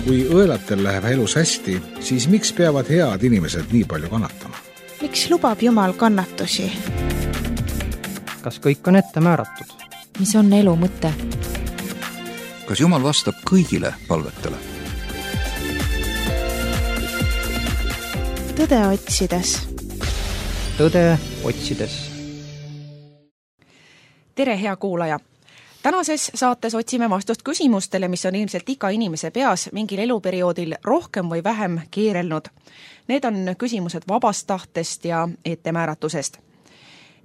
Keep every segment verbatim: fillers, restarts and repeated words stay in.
Kui õelatel läheb elus hästi, siis miks peavad head inimesed nii palju kannatama? Miks lubab Jumal kannatusi? Kas kõik on ette määratud? Mis on elu mõte? Kas Jumal vastab kõigile palvetele? Tõde otsides. Tõde otsides. Tere, hea kuulaja! Tänases saates otsime vastust küsimustele, mis on ilmselt iga inimese peas mingil eluperioodil rohkem või vähem keerelnud. Need on küsimused vabast tahtest ja ettemääratusest.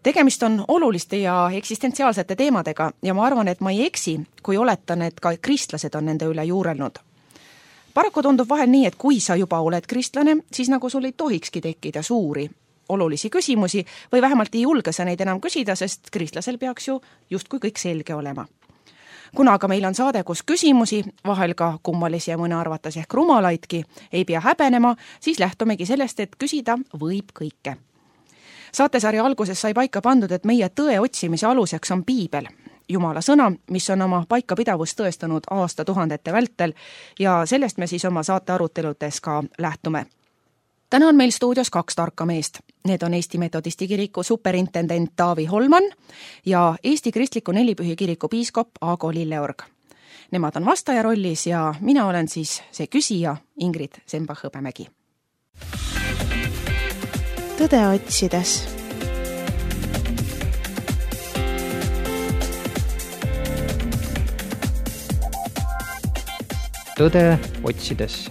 Tegemist on oluliste ja eksistentsiaalsete teemadega ja ma arvan, et ma ei eksi, kui oletan, et ka kristlased on nende üle juurelnud. Paraku tundub vahel nii, et kui sa juba oled kristlane, siis nagu sul ei tohikski tekkida suuri olulisi küsimusi või vähemalt ei julge sa neid enam küsida, sest kristlasel peaks ju justkui kõik selge olema. Kuna aga meil on saade, kus küsimusi, vahel ka kummalisi ja mõne arvates ehk rumalaidki, ei pea häbenema, siis lähtumegi sellest, et küsida võib kõike. Saatesarja alguses sai paika pandud, et meie tõe otsimise aluseks on Piibel, Jumala sõna, mis on oma paikapidavust tõestanud aastatuhandete vältel ja sellest me siis oma saate aruteludes ka lähtume. Täna on meil stuudios kaks tarka meest. Need on Eesti Metodisti kiriku superintendent Taavi Holman ja Eesti Kristliku Nelipühi kiriku piiskop Aago Lilleorg. Nemad on vastaja rollis ja mina olen siis see küsija Ingrid Sembach-Hõbemägi. Tõde otsides. Tõde otsides.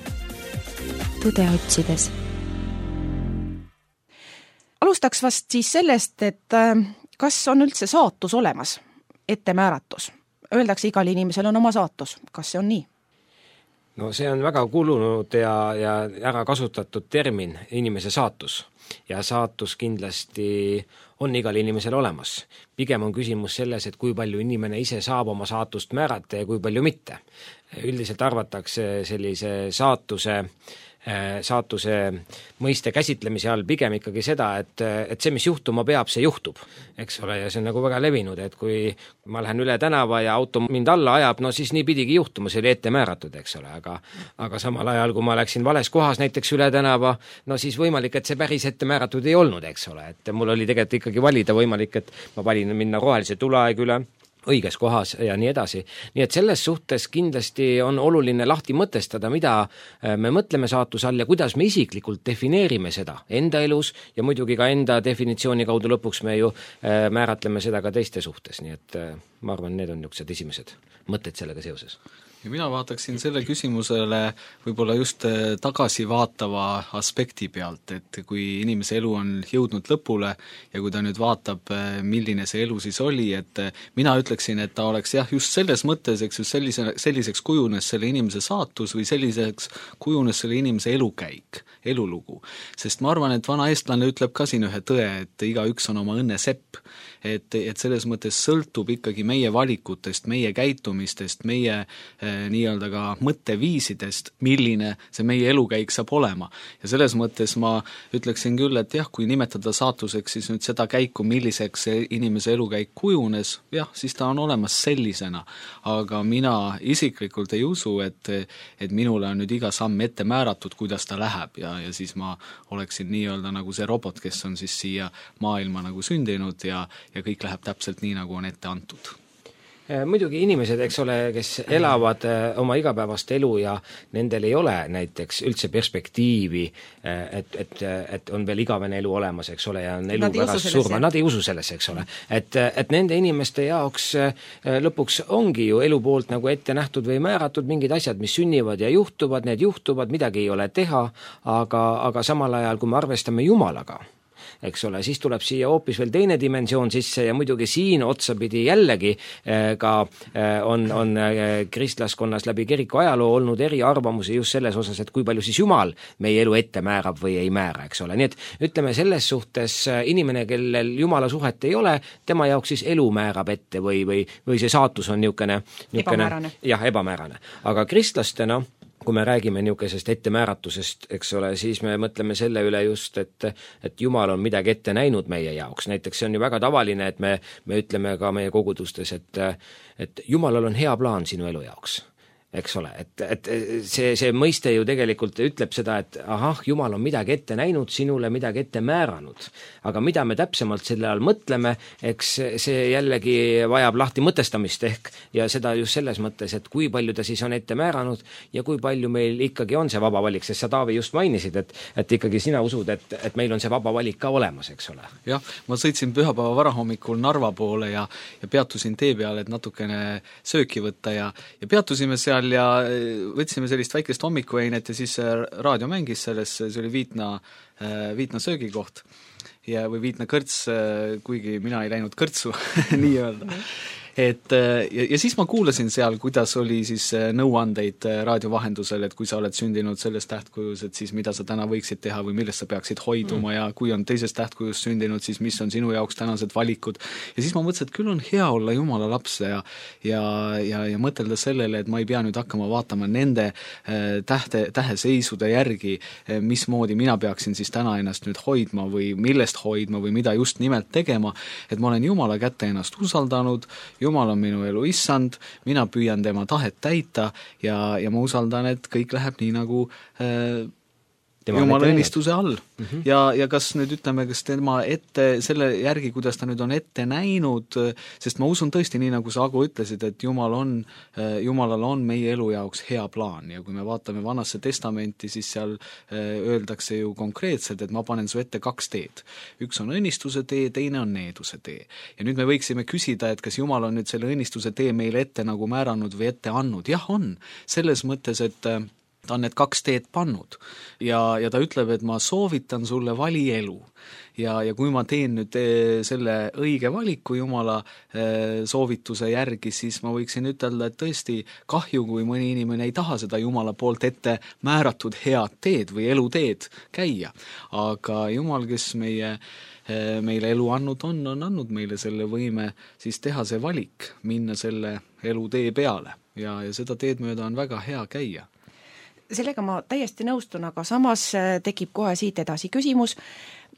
Tõde otsides. Alustaks vast siis sellest, et kas on üldse saatus olemas, ettemääratus? Öeldakse, igal inimesel on oma saatus. Kas see on nii? No see on väga kulunud ja, ja ära kasutatud termin, inimese saatus. Ja saatus kindlasti on igal inimesel olemas. Pigem on küsimus selles, et kui palju inimene ise saab oma saatust määrata ja kui palju mitte. Üldiselt arvatakse sellise saatuse saatuse mõiste käsitlemise all pigem ikkagi seda, et, et see, mis juhtuma peab, see juhtub, eks ole, ja see on nagu väga levinud, et kui ma lähen üle tänava ja auto mind alla ajab, no siis nii pidigi juhtuma, see oli ette määratud, eks ole, aga, aga samal ajal, kui ma läksin vales kohas näiteks üle tänava, no siis võimalik, et see päris ette määratud ei olnud, eks ole, et mul oli tegelikult ikkagi valida võimalik, et ma valin minna rohelise tuleaeg üle, õiges kohas ja nii edasi. Nii et selles suhtes kindlasti on oluline lahti mõtestada, mida me mõtleme saatuse all ja kuidas me isiklikult defineerime seda enda elus ja muidugi ka enda definitsiooni kaudu lõpuks me ju määratleme seda ka teiste suhtes. Nii et ma arvan, need on niisugused esimesed mõtted sellega seoses. Ja mina vaataksin selle küsimusele võib-olla just tagasi vaatava aspekti pealt, et kui inimese elu on jõudnud lõpule ja kui ta nüüd vaatab, milline see elu siis oli, et mina ütleksin, et ta oleks jah, just selles mõttes, eks just sellise, selliseks kujunes selle inimese saatus või selliseks kujunes selle inimese elukäik, elulugu. Sest ma arvan, et vana eestlane ütleb ka siin ühe tõe, et igaüks on oma õnne sepp. Et, et selles mõttes sõltub ikkagi meie valikutest, meie käitumistest, meie eh, nii-öelda ka mõtteviisidest, milline see meie elukäik saab olema. Ja selles mõttes ma ütleksin küll, et jah, kui nimetada saatuseks siis nüüd seda käiku, milliseks see inimese elukäik kujunes, jah, siis ta on olemas sellisena. Aga mina isiklikult ei usu, et, et minule on nüüd iga samm ette määratud, kuidas ta läheb ja, ja siis ma oleksin nii-öelda nagu see robot, kes on siis siia maailma nagu sündinud ja ja kõik läheb täpselt nii, nagu on ette antud. Muidugi inimesed, eks ole, kes elavad oma igapäevast elu ja nendel ei ole näiteks üldse perspektiivi, et, et, et on veel igavene elu olemas, eks ole, ja on elu pärast surma. Nad ei usu sellesse, eks ole. Et, et nende inimeste jaoks lõpuks ongi ju elu poolt nagu ette nähtud või määratud mingid asjad, mis sünnivad ja juhtuvad, need juhtuvad, midagi ei ole teha, aga, aga samal ajal, kui me arvestame Jumalaga, eks ole, siis tuleb siia hoopis veel teine dimensioon sisse ja muidugi siin otsapidi jällegi ka on, on kristlaskonnas läbi kiriku ajaloo olnud eri arvamusi just selles osas, et kui palju siis Jumal meie elu ette määrab või ei määra, eks ole. Nii et ütleme selles suhtes inimene, kellel Jumala suhet ei ole, tema jaoks siis elu määrab ette või, või, või see saatus on niisugune, niisugune ebamäärane. Jah, ebamäärane. Aga kristlastena kui me räägime niisugusest ettemääratusest, eks ole, siis me mõtleme selle üle just, et, et Jumal on midagi ette näinud meie jaoks. Näiteks see on ju väga tavaline, et me, me ütleme ka meie kogudustes, et, et Jumalal on hea plaan sinu elu jaoks. eks ole, et, et see, see mõiste ju tegelikult ütleb seda, et ahah, Jumal on midagi ette näinud, sinule midagi ette määranud. Aga mida me täpsemalt selle all mõtleme, eks see jällegi vajab lahti mõtestamist ehk ja seda just selles mõttes, et kui palju ta siis on ette määranud ja kui palju meil ikkagi on see vaba valik, sest sa, Taavi, just mainisid, et, et ikkagi sina usud, et, et meil on see vaba valik ka olemas, eks ole. Jah, ma sõitsin pühapäeva varahommikul Narva poole ja, ja peatusin tee peale, et natukene sööki võtta ja, ja peatusime seal ja võtsime sellist väikest hommikueinet ja siis raadio mängis selles, see oli Viitna, Viitna söögikoht ja, või Viitna kõrts, kuigi mina ei läinud kõrtsu nii-öelda. Et, ja, ja siis ma kuulasin seal, kuidas oli siis nõuandeid raadio vahendusel, et kui sa oled sündinud selles tähtkujus, et siis mida sa täna võiksid teha või millest sa peaksid hoiduma mm. ja kui on teises tähtkujus sündinud, siis mis on sinu jaoks tänased valikud. Ja siis ma mõtlesin, et küll on hea olla Jumala laps ja, ja, ja, ja mõtelda sellele, et ma ei pea nüüd hakkama vaatama nende tähte, täheseisude järgi, mismoodi mina peaksin siis täna ennast nüüd hoidma või millest hoidma või mida just nimelt tegema, et ma olen Jumala kätte ennast usaldanud, Jumal on minu elu issand, mina püüan tema tahet täita ja, ja ma usaldan, et kõik läheb nii nagu äh, Jumala õnnistuse all. Mm-hmm. Ja, ja kas nüüd ütleme, kas tema ette, selle järgi, kuidas ta nüüd on ette näinud, sest ma usun tõesti nii, nagu sa, Agu, ütlesid, et Jumal on, Jumalal on meie elu jaoks hea plaan ja kui me vaatame Vanasse testamenti, siis seal öeldakse ju konkreetselt, et ma panen su ette kaks teed. Üks on õnnistuse tee, teine on needuse tee. Ja nüüd me võiksime küsida, et kas Jumal on nüüd selle õnnistuse tee meile ette nagu määranud või ette andnud. Jah, on. Selles mõttes, et ta on need kaks teed pannud ja, ja ta ütleb, et ma soovitan sulle vali elu ja, ja kui ma teen nüüd selle õige valiku Jumala soovituse järgi, siis ma võiksin ütelda, et tõesti kahju, kui mõni inimene ei taha seda Jumala poolt ette määratud head teed või eluteed käia, aga Jumal, kes meie meile elu andnud on, on andnud meile selle võime siis teha see valik, minna selle elutee peale ja, ja seda teed mööda on väga hea käia. Sellega ma täiesti nõustun, aga samas tekib kohe siit edasi küsimus,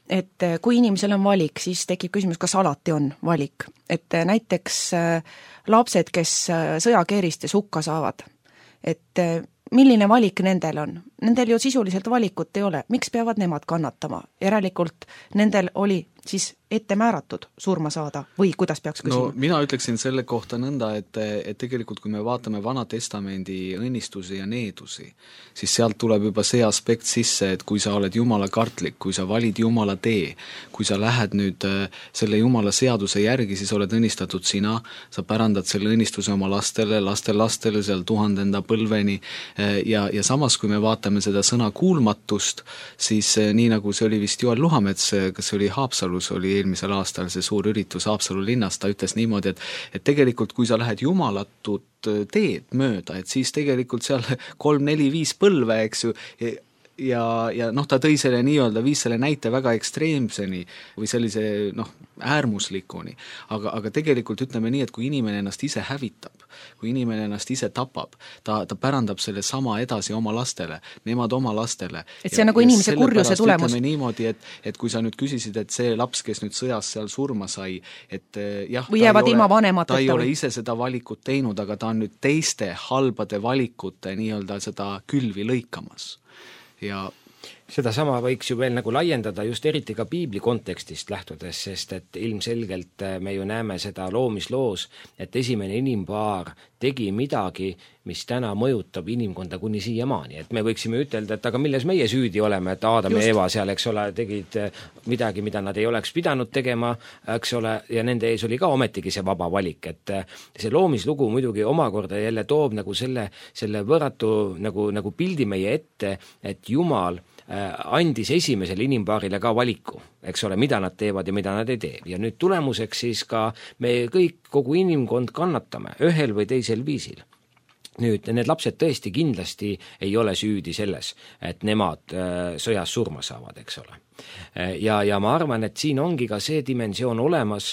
et kui inimesel on valik, siis tekib küsimus, kas alati on valik. Et näiteks lapsed, kes sõjakeeristes hukka saavad, et milline valik nendel on? Nendel ju sisuliselt valikut ei ole. Miks peavad nemad kannatama? Järelikult nendel oli siis ette määratud surma saada või kuidas peaks küsima? No mina ütleksin selle kohta nõnda, et, et tegelikult kui me vaatame Vana Testamendi õnnistusi ja needusi, siis sealt tuleb juba see aspekt sisse, et kui sa oled Jumala kartlik, kui sa valid Jumala tee, kui sa lähed nüüd selle Jumala seaduse järgi, siis oled õnnistatud sina, sa pärandad selle õnnistuse oma lastele, lastel lastele seal tuhandenda põlveni ja, ja samas kui me vaatame seda sõna kuulmatust, siis nii nagu see oli vist Joel Luhamets, kas see oli Haapsalus, oli eelmisel aastal see suur üritus Haapsalu linnas, ta ütles niimoodi, et, et tegelikult kui sa lähed jumalatut teed mööda, et siis tegelikult seal kolm, neli, viis põlve, eks ju, ja, ja noh, ta tõi selle nii-öelda, viis selle näite väga ekstreemseni või sellise noh, äärmuslikuni, aga, aga tegelikult ütleme nii, et kui inimene ennast ise hävitab, kui inimene ennast ise tapab, ta, ta pärandab selle sama edasi oma lastele, nemad oma lastele. Et see on nagu inimese kurjuse tulemus. Ütleme niimoodi, et, et kui sa nüüd küsisid, et see laps, kes nüüd sõjas seal surma sai, et jah, või jäävad ilma vanemateta. Ta ei ole ise seda valikut teinud, aga ta on nüüd teiste halbade valikute nii-öelda seda külvi lõikamas. Ja seda sama võiks ju veel nagu laiendada just eriti ka piibli kontekstist lähtudes, sest et ilmselgelt me ju näeme seda loomisloos, et esimene inimpaar tegi midagi, mis täna mõjutab inimkonda kuni siiamaani. Et me võiksime ütelda, et aga milles meie süüdi oleme, et Aadam ja Eva seal, eks ole, tegid midagi, mida nad ei oleks pidanud tegema, eks ole, ja nende ees oli ka ometigi see vaba valik, et see loomislugu muidugi omakorda jälle toob nagu selle, selle võrratu nagu, nagu pildi meie ette, et Jumal andis esimesele inimpaarile ka valiku, eks ole, mida nad teevad ja mida nad ei tee. Ja nüüd tulemuseks siis ka me kõik, kogu inimkond kannatame ühel või teisel viisil. Nüüd, need lapsed tõesti kindlasti ei ole süüdi selles, et nemad sõjas surma saavad, eks ole. Ja, ja ma arvan, et siin ongi ka see dimensioon olemas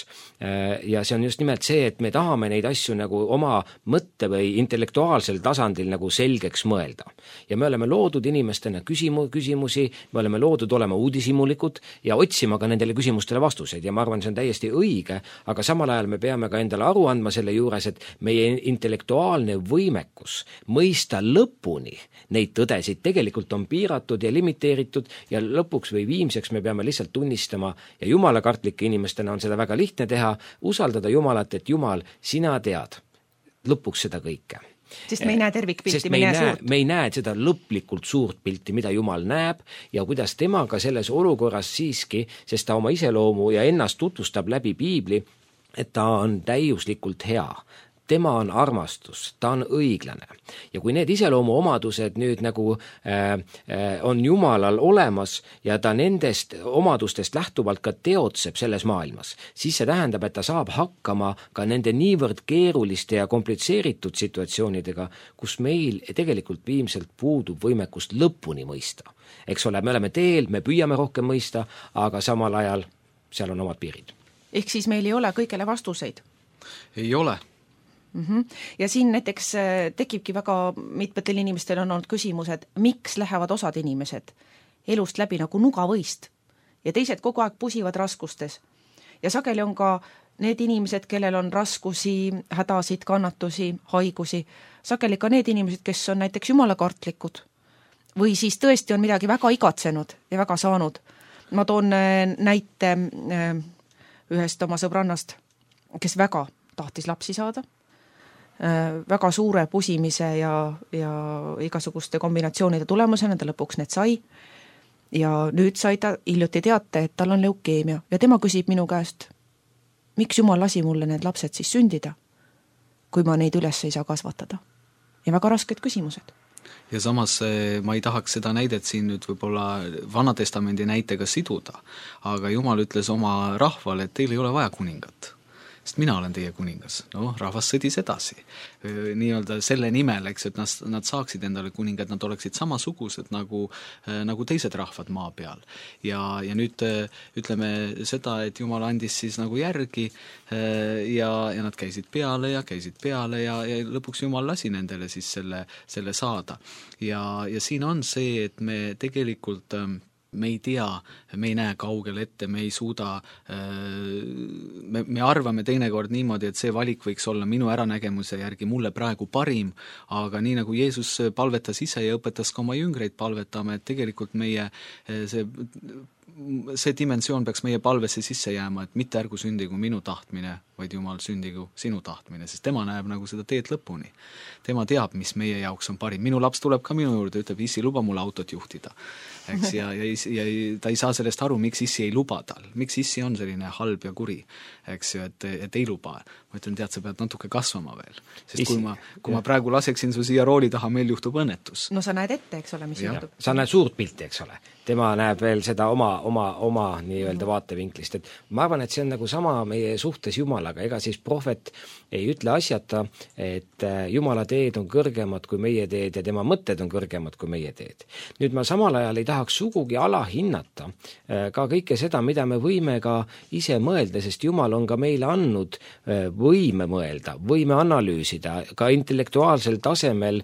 ja see on just nimelt see, et me tahame neid asju nagu oma mõtte või intellektuaalsel tasandil nagu selgeks mõelda. Ja me oleme loodud inimestena küsimu, küsimusi, me oleme loodud olema uudishimulikud ja otsima ka nendele küsimustele vastuseid ja ma arvan, see on täiesti õige, aga samal ajal me peame ka endale aru andma selle juures, et meie intellektuaalne võimekus võimekus mõista lõpuni neid tõdesid tegelikult on piiratud ja limiteeritud ja lõpuks või viimseks me peame lihtsalt tunnistama ja jumalakartlike inimestena on seda väga lihtne teha, usaldada Jumalat, et Jumal, sina tead lõpuks seda kõike. Sest me ei näe tervikpilti, me, me, näe näe, me ei näe seda lõplikult suurt pilti, mida Jumal näeb ja kuidas tema ka selles olukorras siiski, sest ta oma iseloomu ja ennast tutvustab läbi piibli, et ta on täiuslikult hea. Tema on armastus, ta on õiglane. Ja kui need iseloomu omadused nüüd nagu äh, äh, on Jumalal olemas ja ta nendest omadustest lähtuvalt ka teotseb selles maailmas, siis see tähendab, et ta saab hakkama ka nende niivõrd keeruliste ja komplitseeritud situatsioonidega, kus meil tegelikult viimselt puudub võimekust lõpuni mõista. Eks ole, me oleme teel, me püüame rohkem mõista, aga samal ajal seal on omad piirid. Ehk siis meil ei ole kõigele vastuseid? Ei ole. Mm-hmm. Ja siin näiteks tekibki väga mitmetel inimestel on olnud küsimused, miks lähevad osad inimesed elust läbi nagu nugavõist ja teised kogu aeg pusivad raskustes. Ja sageli on ka need inimesed, kellel on raskusi, hädasid, kannatusi, haigusi, sageli ka need inimesed, kes on näiteks jumalakartlikud või siis tõesti on midagi väga igatsenud ja väga saanud. Ma toon näite ühest oma sõbrannast, kes väga tahtis lapsi saada, väga suure pusimise ja, ja igasuguste kombinatsioonide tulemusena ta lõpuks need sai ja nüüd sai ta hiljuti teate, et tal on leukeemia ja tema küsib minu käest, miks Jumal lasi mulle need lapsed siis sündida, kui ma neid üles ei saa kasvatada. Ja väga rasked küsimused. Ja samas ma ei tahaks seda näidet siin nüüd võib-olla Vanatestamendi näitega siduda, aga Jumal ütles oma rahvale, et teil ei ole vaja kuningat. Sest mina olen teie kuningas. No, rahvas sõdis edasi. Nii-öelda selle nimel, eks, et nad, nad saaksid endale kuningad, nad oleksid samasugused nagu, nagu teised rahvad maa peal. Ja, ja nüüd ütleme seda, et Jumal andis siis nagu järgi ja, ja nad käisid peale ja käisid peale ja, ja lõpuks Jumal lasi nendele siis selle, selle saada. Ja, ja siin on see, et me tegelikult me ei tea, me ei näe kaugel ette, me ei suuda, me, me arvame teinekord niimoodi, et see valik võiks olla minu äranägemuse järgi mulle praegu parim, aga nii nagu Jeesus palvetas ise ja õpetas ka oma jüngreid palvetama, et tegelikult meie see see dimensioon peaks meie palvesse sisse jääma, et mitte ärgu sündigu minu tahtmine, vaid Jumal sündigu sinu tahtmine, sest tema näeb nagu seda teed lõpuni. Tema teab, mis meie jaoks on parim. Minu laps tuleb ka minu juurde, ütleb, issi, luba mulle autot juhtida. Eks, ja, ja, ja ta ei saa sellest aru, miks issi ei luba tal. Miks issi on selline halb ja kuri, eks ju, et, et ei luba. Ma ütlen, tead, sa pead natuke kasvama veel. Sest issi, kui, ma, kui ma praegu laseksin su siia rooli taha, meil juhtub õnnetus. No sa näed ette, eks ole, mis ja. juhtub. Sa näed suurt pilti, eks ole. Tema näeb veel seda oma, oma, oma nii-öelda vaatevinklist, et ma arvan, et see on nagu sama meie suhtes Jumalaga, ega siis prohvet ei ütle asjata, et Jumala teed on kõrgemad kui meie teed ja tema mõtted on kõrgemad kui meie teed. Nüüd ma samal ajal ei tahaks sugugi alahinnata ka kõike seda, mida me võime ka ise mõelda, sest Jumal on ka meile andnud võime mõelda, võime analüüsida, ka intellektuaalsel tasemel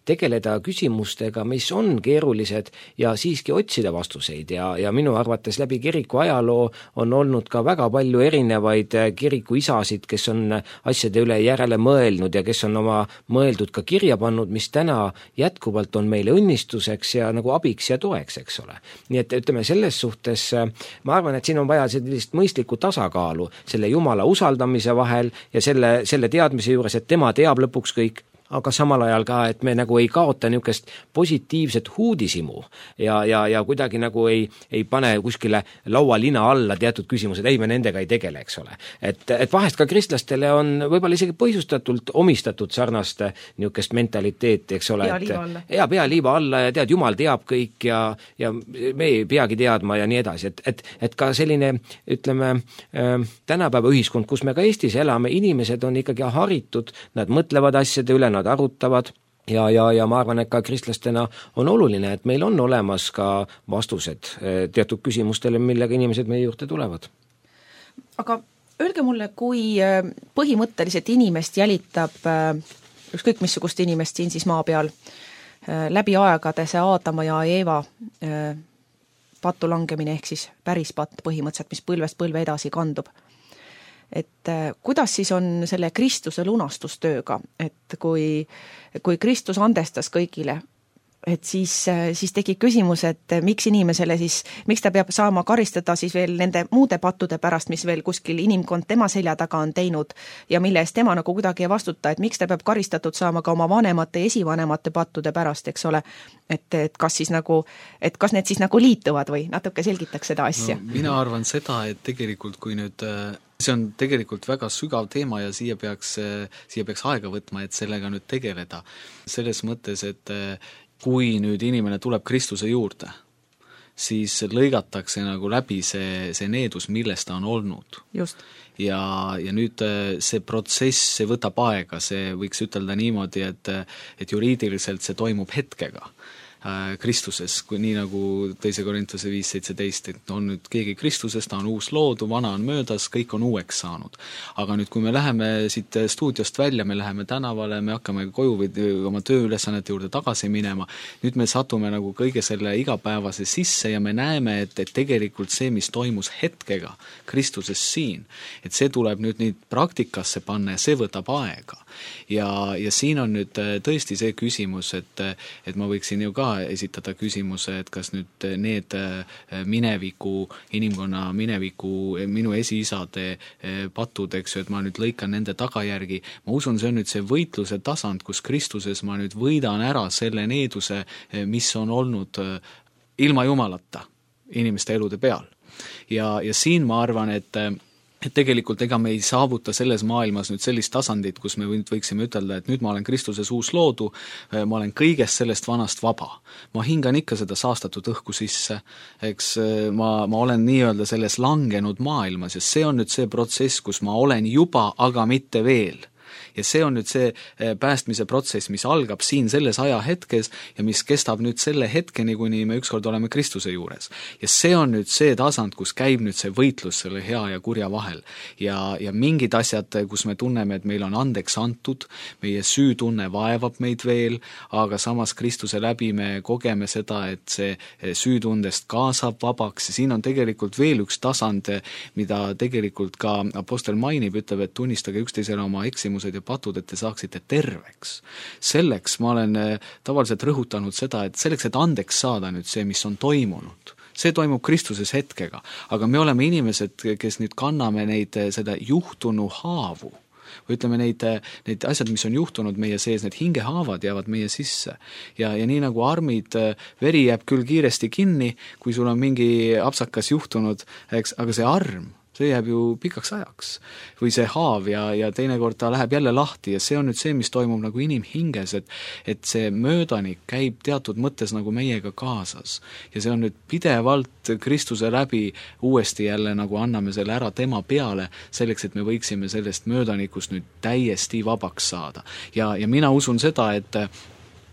tegeleda küsimustega, mis on keerulised ja siiski otsida vastuseid ja, ja minu arvates läbi kiriku ajaloo on olnud ka väga palju erinevaid kiriku isasid, kes on asjade üle järele mõelnud ja kes on oma mõeldud ka kirja pannud, mis täna jätkuvalt on meile õnnistuseks ja nagu abiks ja toeks, eks ole. Nii et ütleme selles suhtes, ma arvan, et siin on vaja sellist mõistlikku tasakaalu selle Jumala usaldamise vahel ja selle, selle teadmise juures, et tema teab lõpuks kõik, aga samal ajal ka, et me nagu ei kaota niisugust positiivset huudisimu ja, ja, ja kuidagi nagu ei, ei pane kuskile laualina alla teatud küsimused, ei me nendega ei tegele, eks ole. Et, et vahest ka kristlastele on võib-olla isegi põhjustatult omistatud sarnast niisugust mentaliteeti, eks ole. Pea liiva alla. Ja pea liiva alla ja tead, Jumal teab kõik ja, ja me ei peagi teadma ja nii edasi, et, et, et ka selline, ütleme, äh, tänapäeva ühiskond, kus me ka Eestis elame, inimesed on ikkagi haritud, nad mõtlevad asjade üle, nad arutavad ja, ja, ja ma arvan, et ka kristlastena on oluline, et meil on olemas ka vastused teatud küsimustele, millega inimesed meie juurde tulevad. Aga öelge mulle, kui põhimõtteliselt inimest jälitab ükskõik missugust inimest siin siis maa peal läbi aegade see Aadama ja Eeva patu langemine ehk siis päris patt põhimõtteliselt, mis põlvest põlve edasi kandub. et kuidas siis on selle Kristuse lunastustööga, et kui, kui Kristus andestas kõigile, et siis, siis tekib küsimus, et miks inimesele siis, miks ta peab saama karistada siis veel nende muude pattude pärast, mis veel kuskil inimkond tema selja taga on teinud ja mille eest tema nagu kuidagi ei vastuta, et miks ta peab karistatud saama ka oma vanemate ja esivanemate pattude pärast, eks ole, et, et kas siis nagu, et kas need siis nagu liituvad või natuke selgitaks seda asja? No, mina arvan seda, et tegelikult kui nüüd see on tegelikult väga sügav teema ja siia peaks, siia peaks aega võtma, et sellega nüüd tegeleda. Selles mõttes, et kui nüüd inimene tuleb Kristuse juurde, siis lõigatakse nagu läbi see, see needus, milles ta on olnud. Just. Ja, ja nüüd see protsess, see võtab aega, see võiks ütelda niimoodi, et, et juriidiliselt see toimub hetkega Kristuses, kui nii nagu teise Korintuse viis seitseteist, et on nüüd keegi Kristuses, ta on uus loodu, vana on möödas, kõik on uueks saanud. Aga nüüd, kui me läheme siit stuudiost välja, me läheme tänavale, me hakkame koju või oma tööülesannete juurde tagasi minema, nüüd me satume nagu kõige selle igapäevase sisse ja me näeme, et, et tegelikult see, mis toimus hetkega Kristuses siin, et see tuleb nüüd nüüd praktikasse panna ja see võtab aega. Ja, ja siin on nüüd tõesti see küsimus, et, et ma võiksin ju ka esitada küsimuse, et kas nüüd need mineviku, inimkonna mineviku, minu esiisade patud, eks ju, et ma nüüd lõikan nende tagajärgi, ma usun, see on nüüd see võitluse tasand, kus Kristuses ma nüüd võidan ära selle needuse, mis on olnud ilma Jumalata inimeste elude peal. Ja, ja siin ma arvan, et et tegelikult ega me ei saavuta selles maailmas nüüd sellist tasandit, kus me võiksime ütelda, et nüüd ma olen Kristuses uus loodu, ma olen kõigest sellest vanast vaba. Ma hingan ikka seda saastatud õhku sisse, eks ma, ma olen nii-öelda selles langenud maailmas ja see on nüüd see protsess, kus ma olen juba, aga mitte veel. Ja see on nüüd see päästmise protsess, mis algab siin selles ajahetkes ja mis kestab nüüd selle hetkeni, kuni me ükskord oleme Kristuse juures. Ja see on nüüd see tasand, kus käib nüüd see võitlus selle hea ja kurja vahel. Ja, ja mingid asjad, kus me tunneme, et meil on andeks antud, meie süütunne vaevab meid veel, aga samas Kristuse läbi me kogeme seda, et see süütundest kaasab vabaks ja siin on tegelikult veel üks tasand, mida tegelikult ka apostel mainib, ütleb, et tunnistage üksteisele oma eksimused ja patud, et te saaksite terveks. Selleks ma olen tavaliselt rõhutanud seda, et selleks, et andeks saada nüüd see, mis on toimunud, see toimub Kristuses hetkega, aga me oleme inimesed, kes nüüd kanname neid seda juhtunu haavu, või ütleme neid, neid asjad, mis on juhtunud meie sees, need hingehaavad jäävad meie sisse. Ja, ja nii nagu armid, veri jääb küll kiiresti kinni, kui sul on mingi apsakas juhtunud, eks, aga see arm, see jääb ju pikaks ajaks või see haav ja, ja teinekord ta läheb jälle lahti ja see on nüüd see, mis toimub nagu inimhinges, et, et see möödanik käib teatud mõttes nagu meiega kaasas ja see on nüüd pidevalt Kristuse läbi uuesti jälle nagu anname selle ära tema peale selleks, et me võiksime sellest möödanikust nüüd täiesti vabaks saada ja, ja mina usun seda, et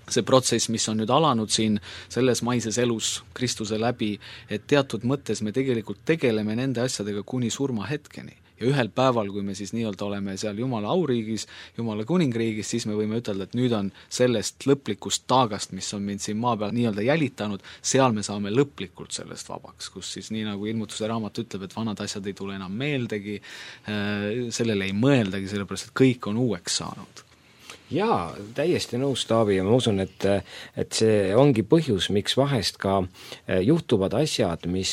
see protsess, mis on nüüd alanud siin selles maises elus Kristuse läbi, et teatud mõttes me tegelikult tegeleme nende asjadega kuni surma hetkeni. Ja ühel päeval, kui me siis nii-öelda oleme seal Jumala auriigis, Jumala kuningriigis, siis me võime ütelda, et nüüd on sellest lõplikust taagast, mis on mind siin maa peal nii-öelda jälitanud, seal me saame lõplikult sellest vabaks, kus siis nii nagu ilmutuse raamat ütleb, et vanad asjad ei tule enam meeldegi, sellele ei mõeldagi, sellepärast, et kõik on uueks saanud. Jaa, täiesti nõus, Taavi, ja ma usun, et, et see ongi põhjus, miks vahest ka juhtuvad asjad, mis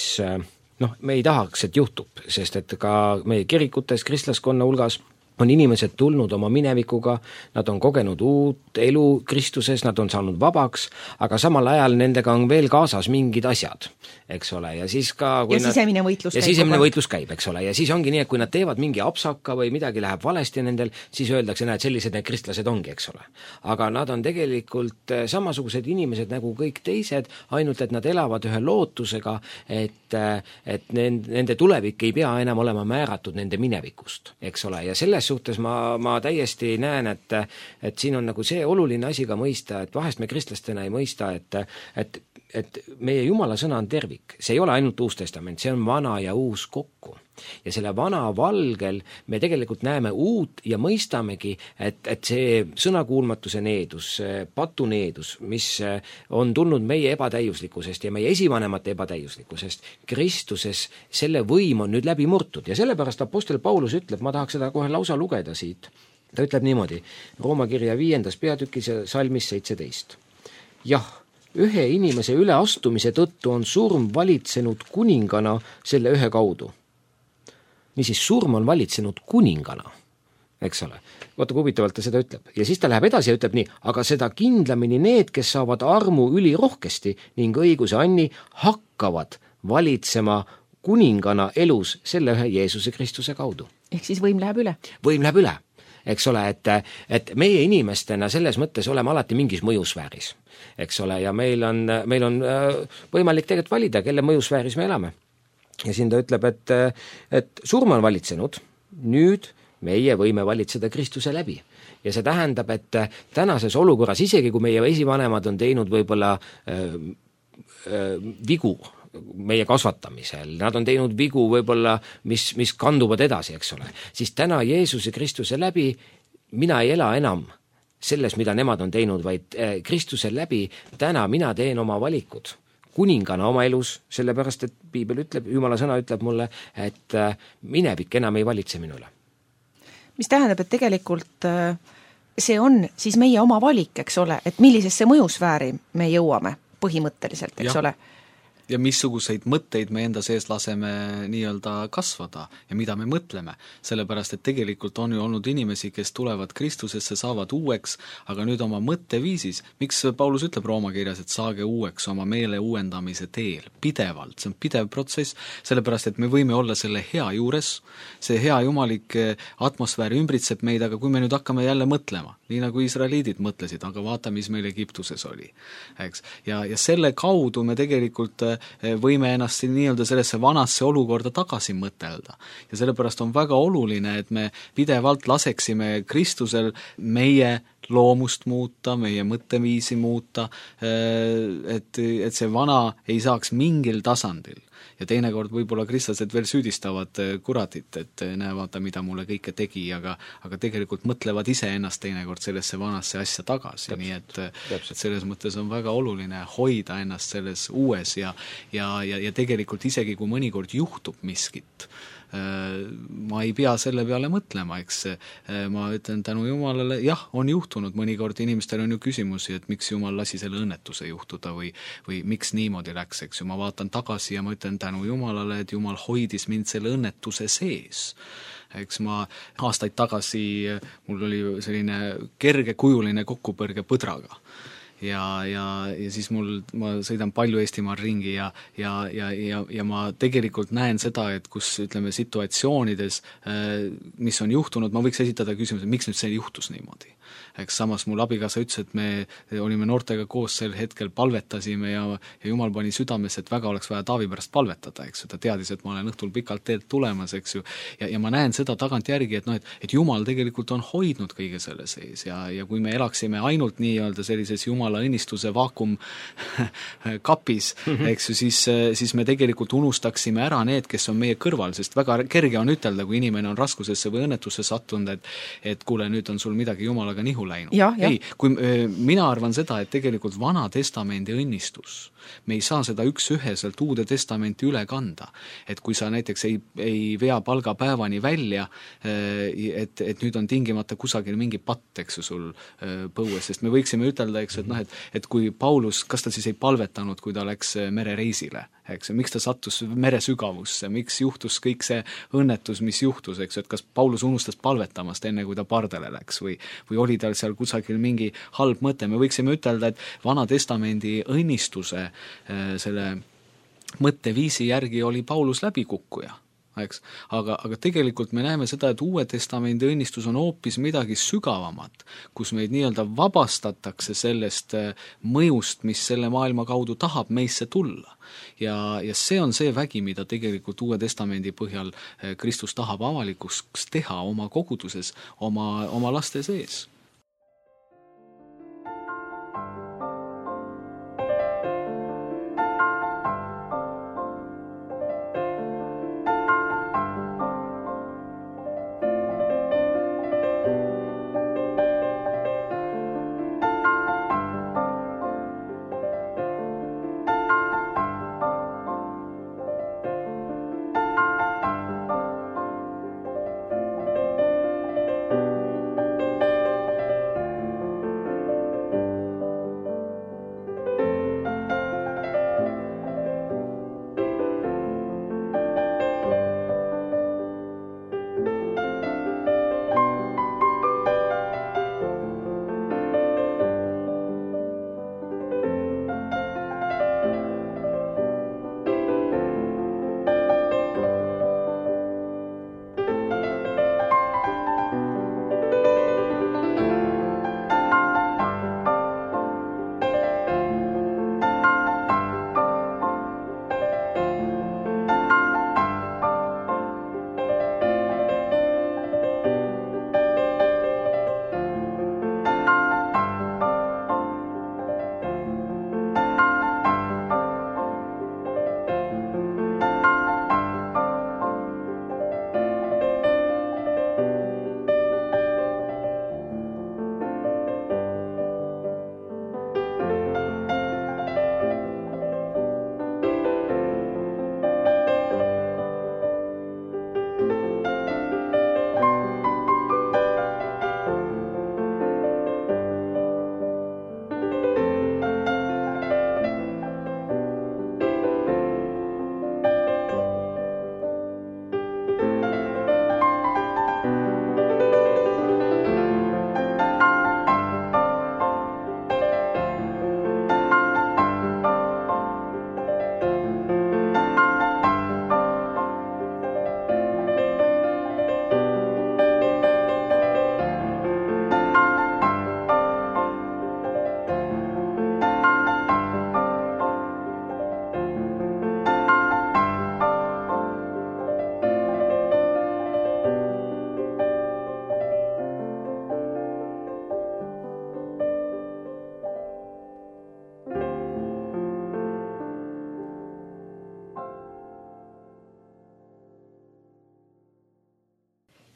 noh, me ei tahaks, et juhtub, sest et ka meie kirikutes, kristlaskonna hulgas on inimesed tulnud oma minevikuga, nad on kogenud uut elu Kristuses, nad on saanud vabaks, aga samal ajal nendega on veel kaasas mingid asjad, eks ole, ja siis ka kui ja sisemine võitlus ja käib. Ja sisemine võitlus käib, eks ole, ja siis ongi nii, et kui nad teevad mingi apsaka või midagi läheb valesti nendel, siis öeldakse, näed, sellised need kristlased ongi, eks ole. Aga nad on tegelikult samasugused inimesed nagu kõik teised, ainult et nad elavad ühe lootusega, et, et nende tulevik ei pea enam olema määratud nende minevikust, eks ole, ja selles suhtes ma, ma täiesti näen, et, et siin on nagu see oluline asi ka mõista, et vahest me kristlastena ei mõista, et, et et meie Jumala sõna on tervik, see ei ole ainult Uus Testament, see on vana ja uus kokku. Ja selle vana valgel me tegelikult näeme uut ja mõistamegi, et, et see sõnakuulmatuse needus, patuneedus, mis on tulnud meie ebatäiuslikkusest ja meie esivanemate ebatäiuslikkusest, Kristuses selle võim on nüüd läbi murtud ja sellepärast apostel Paulus ütleb, ma tahaks seda kohe lausa lugeda siit, ta ütleb niimoodi, Rooma kirja viiendas peatükis ja salmis seitseteist. Jah, ühe inimese üleastumise tõttu on surm valitsenud kuningana selle ühe kaudu. Niisiis, surm on valitsenud kuningana, eks ole. Vaata, kui huvitavalt ta seda ütleb. Ja siis ta läheb edasi ja ütleb nii, aga seda kindlamini need, kes saavad armu ülirohkesti ning õiguse anni, hakkavad valitsema kuningana elus selle ühe Jeesuse Kristuse kaudu. Ehk siis võim läheb üle. Võim läheb üle, eks ole, et, et meie inimestena selles mõttes oleme alati mingis mõjusfääris, eks ole, ja meil on, meil on võimalik tegelikult valida, kelle mõjusfääris me elame. Ja siin ta ütleb, et, et surm on valitsenud, nüüd meie võime valitseda Kristuse läbi. Ja see tähendab, et tänases olukorras, isegi kui meie esivanemad on teinud võib-olla äh, äh, vigu meie kasvatamisel, nad on teinud vigu võib-olla, mis, mis kanduvad edasi, eks ole, siis täna Jeesuse Kristuse läbi mina ei ela enam selles, mida nemad on teinud, vaid äh, Kristuse läbi täna mina teen oma valikud kuningana oma elus, sellepärast, et Piibel ütleb, Jumala sõna ütleb mulle, et minevik enam ei valitse minule. Mis tähendab, et tegelikult see on siis meie oma valik, eks ole, et millisesse mõjusfääri me jõuame põhimõtteliselt, eks ja. ole. Ja missuguseid mõtteid me enda sees laseme nii-öelda kasvada ja mida me mõtleme, sellepärast et tegelikult on ju olnud inimesi, kes tulevad Kristusesse, saavad uueks, aga nüüd oma mõtteviisis, miks Paulus ütleb Rooma kirjas, et saage uueks oma meele uuendamise teel, pidevalt, see on pidev protsess, sellepärast et me võime olla selle hea juures, see hea jumalik atmosfäär ümbritseb meid, aga kui me nüüd hakkame jälle mõtlema, nii nagu israeliidid mõtlesid, aga vaata, mis meil Egiptuses oli, eks, ja, ja selle kaudu me tegelikult võime ennast nii-öelda sellesse vanasse olukorda tagasi mõtelda. Ja sellepärast on väga oluline, et me pidevalt laseksime Kristusel meie loomust muuta, meie mõtteviisi muuta, et, et see vana ei saaks mingil tasandil. Ja teinekord võib-olla kristlased veel süüdistavad kuratit, et näe, vaata, mida mulle kõike tegi, aga, aga tegelikult mõtlevad ise ennast teinekord sellesse vanasse asja tagasi, Täpselt. nii et, et selles mõttes on väga oluline hoida ennast selles uues ja, ja, ja, ja tegelikult isegi kui mõnikord juhtub miskit, ma ei pea selle peale mõtlema, eks ma ütlen tänu Jumalale, jah, on juhtunud, mõnikord inimestel on ju küsimusi, et miks Jumal lasi selle õnnetuse juhtuda või, või miks niimoodi läks, eks ju, ma vaatan tagasi ja ma ütlen tänu Jumalale, et Jumal hoidis mind selle õnnetuse sees. Eks ma aastaid tagasi, mul oli selline kergekujuline kokkupõrge põdraga. Ja, ja, ja siis mul, ma sõidan palju Eestimaal ringi ja, ja, ja, ja, ja ma tegelikult näen seda, et kus, ütleme, situatsioonides, mis on juhtunud, ma võiks esitada küsimuse, miks nüüd see juhtus niimoodi. Eks samas mul abikaasa ütles, et me olime noortega koos sel hetkel, palvetasime ja, ja Jumal pani südames, et väga oleks vaja Taavi pärast palvetada, eks ju, ta teadis, et ma olen õhtul pikalt teelt tulemas, eks ju, ja, ja ma näen seda tagant järgi, et noh, et, et Jumal tegelikult on hoidnud kõige selle sees ja, ja kui me elaksime ainult nii-öelda sellises Jumala õnnistuse vaakum kapis, mm-hmm. eks ju, siis, siis me tegelikult unustaksime ära need, kes on meie kõrval, sest väga kerge on ütelda, kui inimene on raskusesse või õnnetusse sattunud, et, et kuule, nüüd on sul midagi Jumalaga nihu läinud. Ja, ja. Ei, kui mina arvan seda, et tegelikult Vana Testamendi õnnistus, me ei saa seda üks-üheselt Uude Testamenti üle kanda. Et kui sa näiteks ei, ei vea palgapäevani välja, et, et nüüd on tingimata kusagil mingi patt, eks ju, sul põues, sest me võiksime ütelda, eks, et noh, et, et kui Paulus, kas ta siis ei palvetanud, kui ta läks merereisile, eks, miks ta sattus mere sügavusse, miks juhtus kõik see õnnetus, mis juhtus, eks, et kas Paulus unustas palvetamast enne, kui ta pardele läks või, või oli tal seal kusagil mingi halb mõte, me võiksime ütelda, et Vana Testamendi õnnistuse selle mõtteviisi järgi oli Paulus läbikukkuja, eks, aga, aga tegelikult me näeme seda, et Uue Testamendi õnnistus on hoopis midagi sügavamat, kus meid nii-öelda vabastatakse sellest mõjust, mis selle maailma kaudu tahab meisse tulla. Ja, ja see on see vägi, mida tegelikult Uue Testamendi põhjal Kristus tahab avalikuks teha oma koguduses, oma, oma laste sees.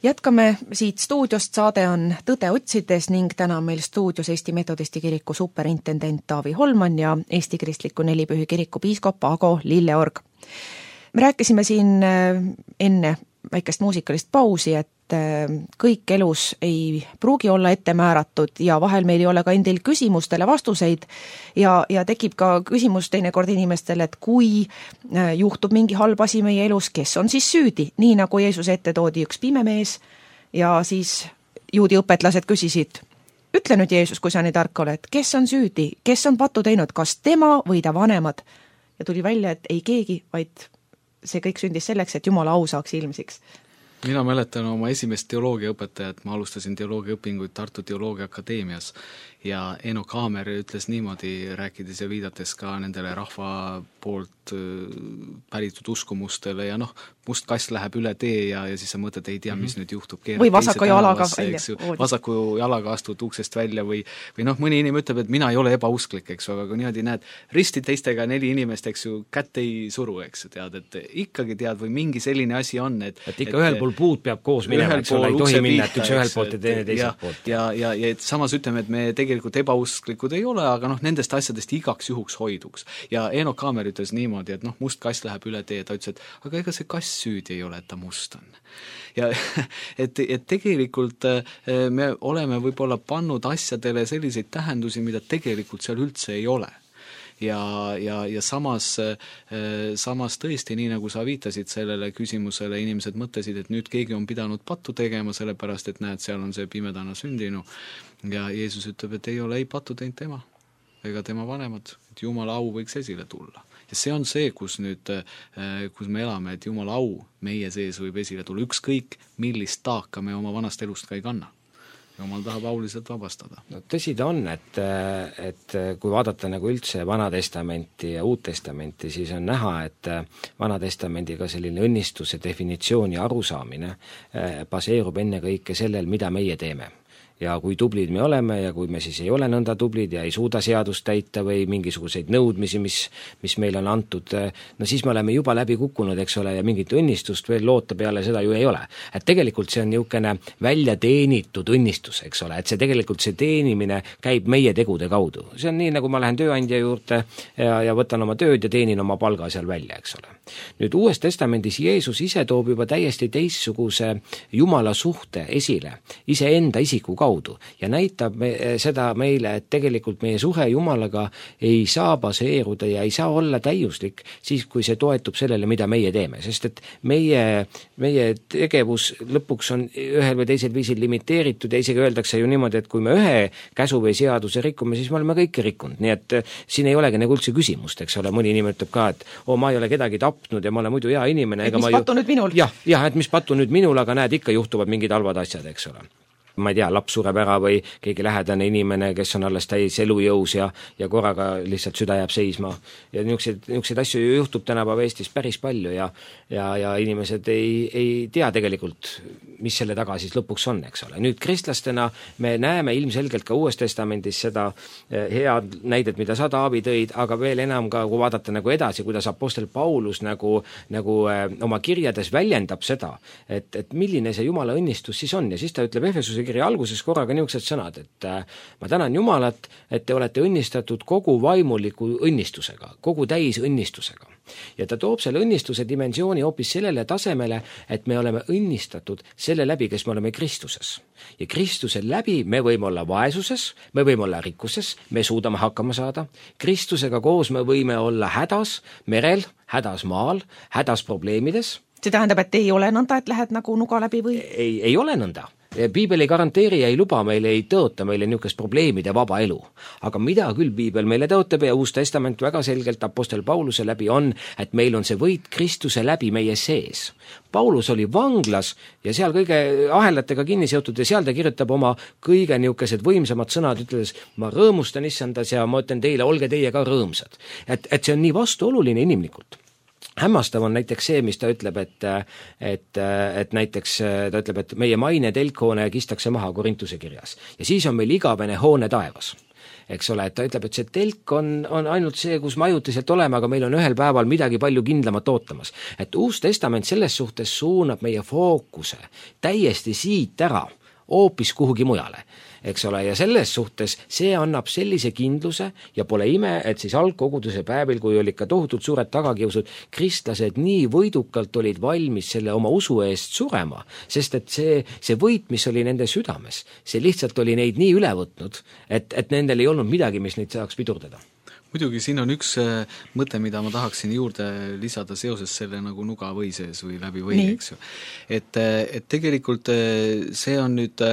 Jätkame siit stuudiost, saade on Tõde otsides ning täna on meil stuudios Eesti Metodisti kiriku superintendent Taavi Holman ja Eesti Kristliku Nelipühi kiriku piiskop Ago Lilleorg. Me rääkisime siin enne väikest muusikalist pausi, et kõik elus ei pruugi olla ette määratud ja vahel meil ei ole ka endil küsimustele vastuseid ja, ja tekib ka küsimus teinekord inimestele, et kui juhtub mingi halb asi meie elus, kes on siis süüdi, nii nagu Jeesus ette toodi üks pime mees ja siis juudi õpetlased küsisid, ütle nüüd Jeesus, kui sa nii tark oled, kes on süüdi, kes on pattu teinud, kas tema või ta vanemad? Ja tuli välja, et ei keegi, vaid see kõik sündis selleks, et Jumala au saaks ilmsiks. Mina mäletan oma esimest teoloogiaõpetajat, ma alustasin teoloogiaõpinguid Tartu Teoloogiaakadeemias ja Eno Kaamer ütles niimoodi, rääkides ja viidates ka nendele rahva poolt päritud uskumustele ja noh, must kass läheb üle tee ja, ja siis sa mõtled, ei tea, mis mm-hmm. nüüd juhtub. Või vasaku jalaga välja. Vasaku jalaga astud uksest välja või, või noh, mõni inimene ütleb, et mina ei ole ebausklik, eks ju, aga kui niimoodi näed, risti teistega neli inimest, eks ju, kätt ei suru, eks ju, tead, et ikkagi tead või mingi selline asi on, et et ikka et, ühel pool puud peab koos minema, eks ole, ei tohi minna, et üks ühel poolt ja teine teiselt poolt. Ja, ja, ja et samas ütleme, et me tegelikult ebausklikud ei ole, aga noh, nendest asjadest igaks juhuks hoiduks. Ja Eno Kaamer ütles niimoodi, et noh, must kass läheb üle tee, ta ütles, et aga ega see kass süüdi ei ole, et ta must on. Ja et, et tegelikult me oleme võib-olla pannud asjadele selliseid tähendusi, mida tegelikult seal üldse ei ole. Ja, ja, ja samas, samas tõesti, nii nagu sa viitasid sellele küsimusele, inimesed mõtlesid, et nüüd keegi on pidanud pattu tegema, sellepärast, et näed, seal on see pimedana sündinu. Ja Jeesus ütleb, et ei ole ei pattu teinud tema ega tema vanemad, et Jumala au võiks esile tulla. Ja see on see, kus nüüd, kus me elame, et Jumala au meie sees võib esile tulla, ükskõik millist taaka me oma vanast elust ka ei kanna. Jumal tahab auliselt vabastada. No tõsi ta on, et, et kui vaadata nagu üldse Vana Testamenti ja Uut Testamenti, siis on näha, et Vana Testamendiga selline õnnistuse definitsiooni arusaamine baseerub enne kõike sellel, mida meie teeme. Ja kui tublid me oleme ja kui me siis ei ole nõnda tublid ja ei suuda seadust täita või mingisuguseid nõudmisi, mis, mis meil on antud, no siis me oleme juba läbi kukkunud, eks ole, ja mingit õnnistust veel loota peale seda ju ei ole. Et tegelikult see on niisugune välja teenitud õnnistus, eks ole, et see tegelikult see teenimine käib meie tegude kaudu. See on nii, nagu ma lähen tööandja juurde ja, ja võtan oma tööd ja teenin oma palga seal välja, eks ole. Nüüd Uues Testamendis Jeesus ise toob juba täiesti teistsuguse Jumala suhte esile, iseenda isiku kaudu. Ja näitab me, seda meile, et tegelikult meie suhe Jumalaga ei saa baseeruda ja ei saa olla täiuslik siis, kui see toetub sellele, mida meie teeme, sest et meie, meie tegevus lõpuks on ühel või teisel viisil limiteeritud ja isegi öeldakse ju niimoodi, et kui me ühe käsu või seaduse rikume, siis me oleme kõike rikkunud, nii et siin ei olegi nagu üldse küsimust, eks ole, mõni inimene ütleb ka, et oo, ma ei ole kedagi tapnud ja ma olen muidu hea inimene. Et mis pattu ju... nüüd minul? Jah, jah, et mis pattu nüüd minul, aga näed, ikka juhtuvad mingid halvad asjad, eks ole. Ma ei tea, laps sureb ära või keegi lähedane inimene, kes on alles täis elujõus ja, ja korraga lihtsalt süda jääb seisma. Ja niisuguseid, niisuguseid asju juhtub tänapäeva Eestis päris palju ja, ja, ja inimesed ei, ei tea tegelikult, mis selle taga siis lõpuks on, eks ole. Nüüd kristlastena me näeme ilmselgelt ka Uues Testamendis seda head näidet, mida sa, Taavi, tõid, aga veel enam ka, kui vaadata nagu edasi, kuidas apostel Paulus nagu, nagu oma kirjades väljendab seda, et, et milline see Jumala õnnistus siis on ja siis ta ütleb Efesuse kirja alguses korraga niisugused sõnad, et ma tänan Jumalat, et te olete õnnistatud kogu vaimuliku õnnistusega, kogu täis õnnistusega. Ja ta toob selle õnnistuse dimensiooni hoopis sellele tasemele, et me oleme õnnistatud selle läbi, kes me oleme Kristuses. Ja Kristuse läbi me võime olla vaesuses, me võime olla rikkuses, me suudame hakkama saada. Kristusega koos me võime olla hädas merel, hädas maal, hädas probleemides. See tähendab, et ei ole nõnda, et lähed nagu nuga läbi või? Ei, ei ole nõnda. Piibel ei garanteeri ja ei luba meile, ei tõota meile niisugust probleemide vaba elu. Aga mida küll Piibel meile tõotab ja Uus Testament väga selgelt apostel Pauluse läbi on, et meil on see võit Kristuse läbi meie sees. Paulus oli vanglas ja seal kõige ahelatega kinni seotud ja seal ta kirjutab oma kõige niisugused võimsamad sõnad, ütles, ma rõõmustan issandas ja ma ütlen teile, olge teie ka rõõmsad. Et, et see on nii vastuoluline inimlikult. Hämmastav on näiteks see, mis ta ütleb, et, et, et näiteks ta ütleb, et meie maine telkhoone kistakse maha Korintuse kirjas. Ja siis on meil igavene hoone taevas. eks ole, et ta ütleb, et see telk on, on ainult see, kus me ajutiselt oleme, aga meil on ühel päeval midagi palju kindlamat ootamas. Et Uus Testament selles suhtes suunab meie fookuse täiesti siit ära, hoopis kuhugi mujale, eks ole, ja selles suhtes see annab sellise kindluse ja pole ime, et siis algkoguduse päevil, kui olid ka tohutult suured tagakiusud, kristlased nii võidukalt olid valmis selle oma usu eest surema, sest et see, see võit, mis oli nende südames, see lihtsalt oli neid nii üle võtnud, et, et nendel ei olnud midagi, mis neid saaks pidurdada. Muidugi siin on üks mõte, mida ma tahaksin juurde lisada seoses selle nagu nuga või sees või läbi või, eks ju. Et, et tegelikult see on nüüd,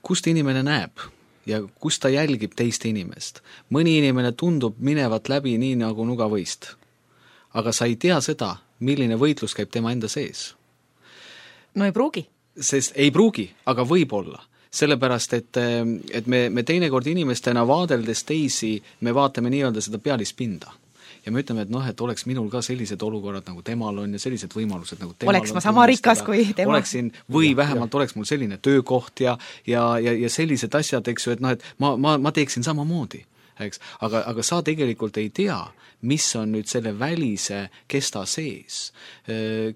kust inimene näeb ja kust ta jälgib teist inimest. Mõni inimene tundub minevat läbi nii nagu nuga võist, aga sa ei tea seda, milline võitlus käib tema enda sees. No ei pruugi. Sest ei pruugi, aga võib olla. Sellepärast, et, et me, me teinekord inimestena vaadeldes teisi, me vaatame nii-öelda seda pealispinda. Ja me ütleme, et noh, et oleks minul ka sellised olukorrad, nagu temal on ja sellised võimalused, nagu temal oleks on. Ma sama rikas kui tema. Oleksin, või vähemalt oleks mul selline töökoht ja, ja, ja, ja sellised asjad, eks ju, et noh, et ma, ma, ma teeksin samamoodi. Eks? Aga, aga sa tegelikult ei tea, mis on nüüd selle välise kesta sees.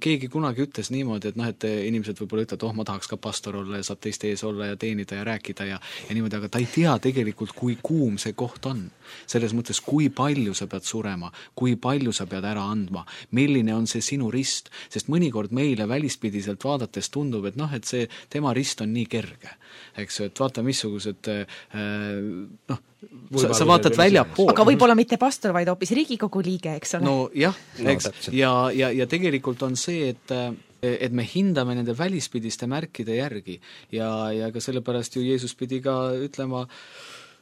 Keegi kunagi ütles niimoodi, et noh, et inimesed võib-olla ütlevad, oh, ma tahaks ka pastor olla ja saab teiste ees olla ja teenida ja rääkida ja, ja niimoodi, aga ta ei tea tegelikult, kui kuum see koht on. Selles mõttes, kui palju sa pead surema, kui palju sa pead ära andma, milline on see sinu rist, sest mõnikord meile välispidiselt vaadates tundub, et noh, et see tema rist on nii kerge. Eks ju, et vaata, missugused äh, noh, sa, sa vaatad väljapool. Aga võib-olla mitte pastor, vaid hoopis Riigikogu liige, eks ole? No jah, eks, no, ja, ja, ja tegelikult on see, et et me hindame nende välispidiste märkide järgi ja, ja ka sellepärast ju Jeesus pidi ka ütlema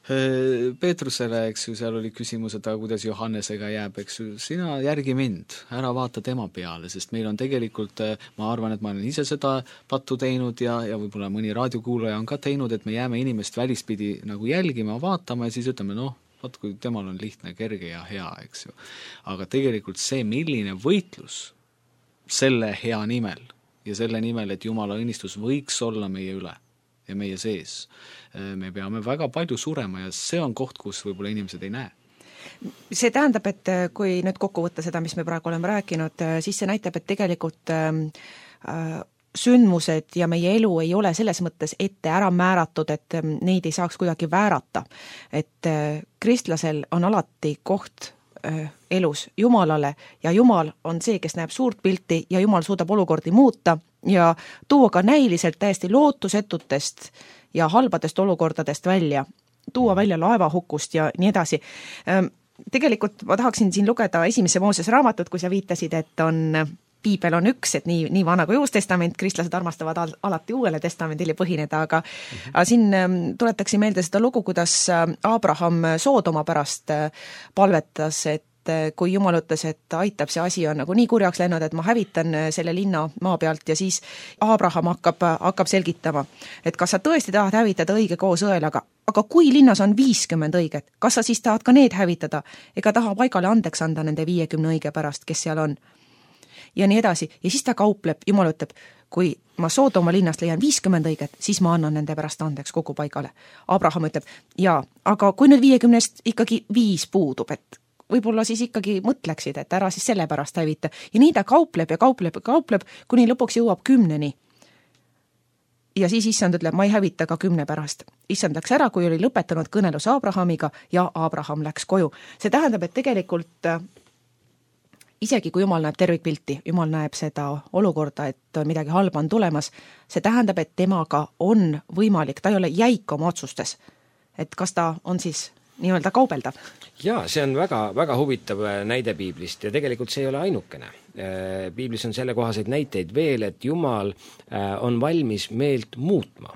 Peetrusele, eks ju, seal oli küsimus, et aga kuidas Johannesega jääb, eks ju, sina järgi mind, ära vaata tema peale, sest meil on tegelikult, ma arvan, et ma olen ise seda pattu teinud ja, ja võib-olla mõni raadiokuulaja on ka teinud, et me jääme inimest välispidi nagu jälgima, vaatama ja siis ütleme, noh, vaat kui temal on lihtne, kerge ja hea, eks ju. Aga tegelikult see, milline võitlus selle hea nimel ja selle nimel, et Jumala õnnistus võiks olla meie üle ja meie sees, me peame väga palju surema ja see on koht, kus võib-olla inimesed ei näe. See tähendab, et kui nüüd kokku võtta seda, mis me praegu oleme rääkinud, siis see näitab, et tegelikult äh, sündmused ja meie elu ei ole selles mõttes ette ära määratud, et neid ei saaks kuidagi väärata. Et äh, kristlasel on alati koht äh, elus Jumalale ja Jumal on see, kes näeb suurt pilti ja Jumal suudab olukordi muuta ja tuua ka näiliselt täiesti lootusetutest ja halbadest olukordadest välja, tuua välja laevahukust ja nii edasi. Tegelikult ma tahaksin siin lugeda esimese Mooses raamatut, kui sa viitasid, et on, piibel on üks, et nii, nii vana kui Uus Testament, kristlased armastavad al, alati uuele testamendile põhineda, aga, mm-hmm. aga siin tuletaksi meelde seda lugu, kuidas Abraham Soodoma pärast palvetas, et kui Jumal ütles, et aitab, see asi on nagu nii kurjaks läinud, et ma hävitan selle linna maa pealt ja siis Abraham hakkab, hakkab selgitama, et kas sa tõesti tahad hävitada õige koos õel, aga, aga kui linnas on viiskümmend õiget, kas sa siis tahad ka need hävitada, ega taha paigale andeks anda nende viiekümne õige pärast, kes seal on. Ja nii edasi. Ja siis ta kaupleb, Jumal ütleb, kui ma Soodoma linnast leian viiskümmend õiget, siis ma annan nende pärast andeks kogu paigale. Abraham ütleb, jaa, aga kui nüüd viiekümnest ikkagi viis puudub, et võib-olla siis ikkagi mõtleksid, et ära siis selle pärast hävita. Ja nii ta kaupleb ja kaupleb ja kaupleb, kuni lõpuks jõuab kümneni. Ja siis issand ütleb, ma ei hävita ka kümne pärast. Issand läks ära, kui oli lõpetanud kõnelus Abrahamiga ja Abraham läks koju. See tähendab, et tegelikult isegi kui Jumal näeb tervikpilti, Jumal näeb seda olukorda, et midagi halba on tulemas, see tähendab, et temaga on võimalik, ta ei ole jäik oma otsustes. Et kas ta on siis nii-öelda kaubeldav? Jaa, see on väga, väga huvitav näide piiblist ja tegelikult see ei ole ainukene. Piiblis on selle kohaseid näiteid veel, et Jumal on valmis meelt muutma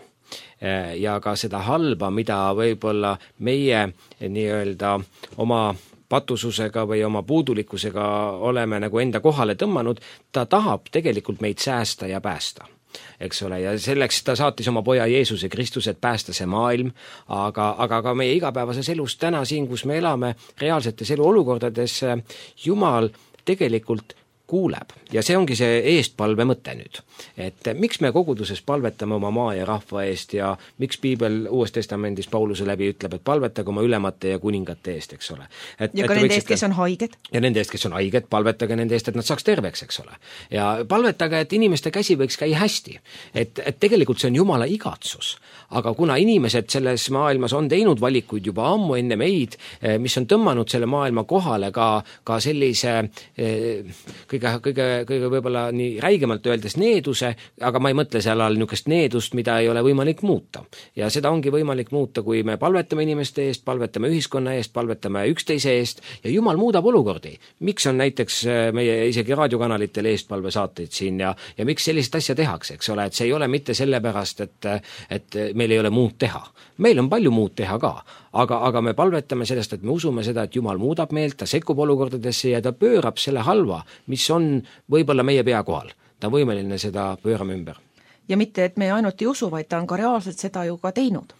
ja ka seda halba, mida võib-olla meie nii-öelda oma patususega või oma puudulikkusega oleme nagu enda kohale tõmmanud, ta tahab tegelikult meid säästa ja päästa. Eks ole, ja selleks ta saatis oma poja Jeesuse Kristuse, et päästa see maailm, aga, aga ka meie igapäevases elus täna siin, kus me elame reaalsetes eluolukordades, Jumal tegelikult kuuleb ja see ongi see eestpalve mõte nüüd. Et miks me koguduses palvetame oma maa ja rahva eest ja miks piibel Uues Testamendis Pauluse läbi ütleb, et palvetage oma ülemate ja kuningate eest, eks ole. Et, ja ka nende eest, kes on haiged. Ja nende eest, kes on haiged, palvetage nende eest, et nad saaks terveks, eks ole. Ja palvetage, et inimeste käsi võiks käia hästi. Et, et tegelikult see on Jumala igatsus. Aga kuna inimesed selles maailmas on teinud valikuid juba ammu enne meid, mis on tõmmanud selle maailma kohale ka, ka sellise kõige, kõige, kõige võib-olla nii räigemalt öeldes needuse, aga ma ei mõtle seal all niisugust needust, mida ei ole võimalik muuta. Ja seda ongi võimalik muuta, kui me palvetame inimeste eest, palvetame ühiskonna eest, palvetame üksteise eest ja Jumal muudab olukordi. Miks on näiteks meie isegi raadiokanalitel eestpalve saateid siin ja, ja miks sellist asja tehakse, eks ole, et see ei ole mitte sellepärast, et, et meil ei ole muud teha. Meil on palju muud teha ka, aga, aga me palvetame sellest, et me usume seda, et Jumal muudab meelt, ta sekkub olukordadesse ja ta pöörab selle halva, mis on võib-olla meie pea kohal. Ta on võimeline seda pöörama ümber. Ja mitte, et me ainult ei usu, vaid ta on ka reaalselt seda ju ka teinud.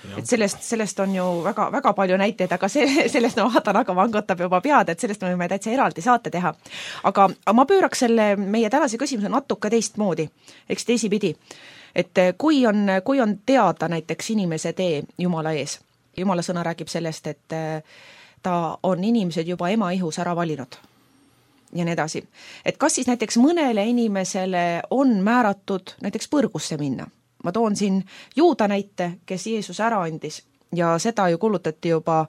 Ja. Et sellest, sellest on ju väga, väga palju näiteid, aga see, sellest ma vaatan, aga vangutab juba pead, et sellest me võime täitsa eraldi saate teha. Aga ma pööraks selle meie tänase küsimuse natuke teistmoodi, eks teisipidi. Et kui on, kui on teada näiteks inimese tee Jumala ees, Jumala sõna räägib sellest, et ta on inimesed juba ema ihus ära valinud ja nii edasi. Et kas siis näiteks mõnele inimesele on määratud näiteks põrgusse minna? Ma toon siin Juuda näite, kes Jeesus ära andis ja seda ju kulutati juba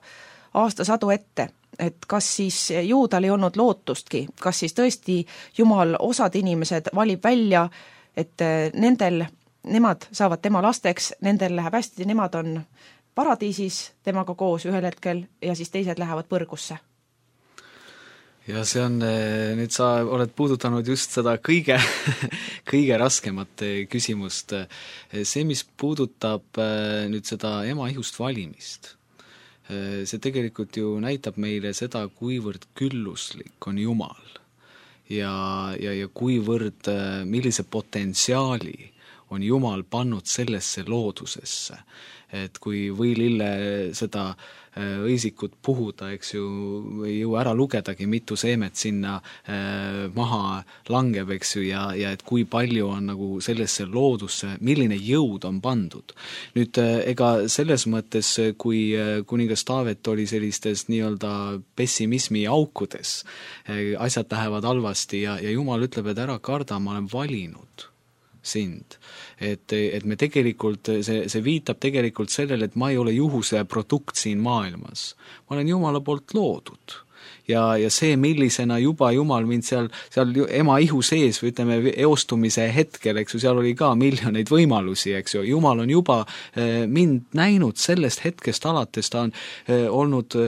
aastasadu ette, et kas siis Juudal ei olnud lootustki, kas siis tõesti Jumal osad inimesed valib välja, et nendel, nemad saavad tema lasteks, nendel läheb hästi, nemad on paradiisis temaga koos ühel hetkel ja siis teised lähevad põrgusse. Ja see on, nüüd sa oled puudutanud just seda kõige, kõige raskemat küsimust. See, mis puudutab nüüd seda ema ihust valimist, see tegelikult ju näitab meile seda, kuivõrd külluslik on Jumal ja, ja, ja kuivõrd, millise potentsiaali on Jumal pannud sellesse loodusesse. Et kui võilille seda õisikut puhuda, eks ju, ei jõua ära lugedagi, mitu seemet sinna maha langeb, eks ju, ja, ja et kui palju on nagu sellesse loodusse, milline jõud on pandud. Nüüd, ega selles mõttes, kui kuningas Taavet oli sellistes nii-öelda pessimismi aukudes, asjad lähevad halvasti ja, ja Jumal ütleb, et ära karda, ma olen valinud sind. Et, et me tegelikult, see, see viitab tegelikult sellele, et ma ei ole juhuse produkt siin maailmas. Ma olen Jumala poolt loodud. Ja, ja see, millisena juba Jumal mind seal, seal ema ihu sees või ütleme eostumise hetkel, eks ju, seal oli ka miljoneid võimalusi, eks ju. Jumal on juba mind näinud sellest hetkest alates, ta on olnud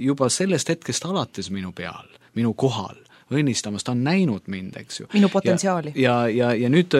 juba sellest hetkest alates minu peal, minu kohal. Õnnistamas, ta on näinud mind, eks ju. Minu potentsiaali. Ja, ja, ja, ja nüüd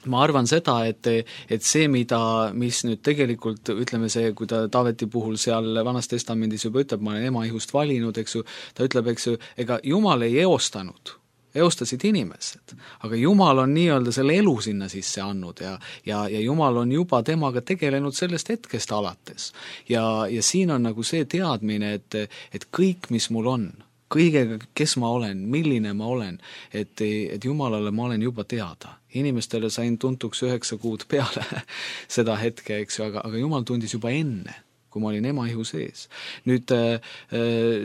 ma arvan seda, et, et see, mida, mis nüüd tegelikult, ütleme see, kui ta Taaveti puhul seal Vanas Testamendis juba ütleb, ma olen ema ihust valinud, eks ju, ta ütleb, eks ju, ega Jumal ei eostanud, eostasid inimesed, aga Jumal on nii-öelda selle elu sinna sisse andnud ja, ja, ja Jumal on juba temaga tegelenud sellest hetkest alates. Ja, ja siin on nagu see teadmine, et, et kõik, mis mul on, kõigega, kes ma olen, milline ma olen, et, et Jumalale ma olen juba teada. Inimestele sain tuntuks üheksa kuud peale seda hetke, eks ju, aga, aga Jumal tundis juba enne, kui ma olin ema ihu sees. Nüüd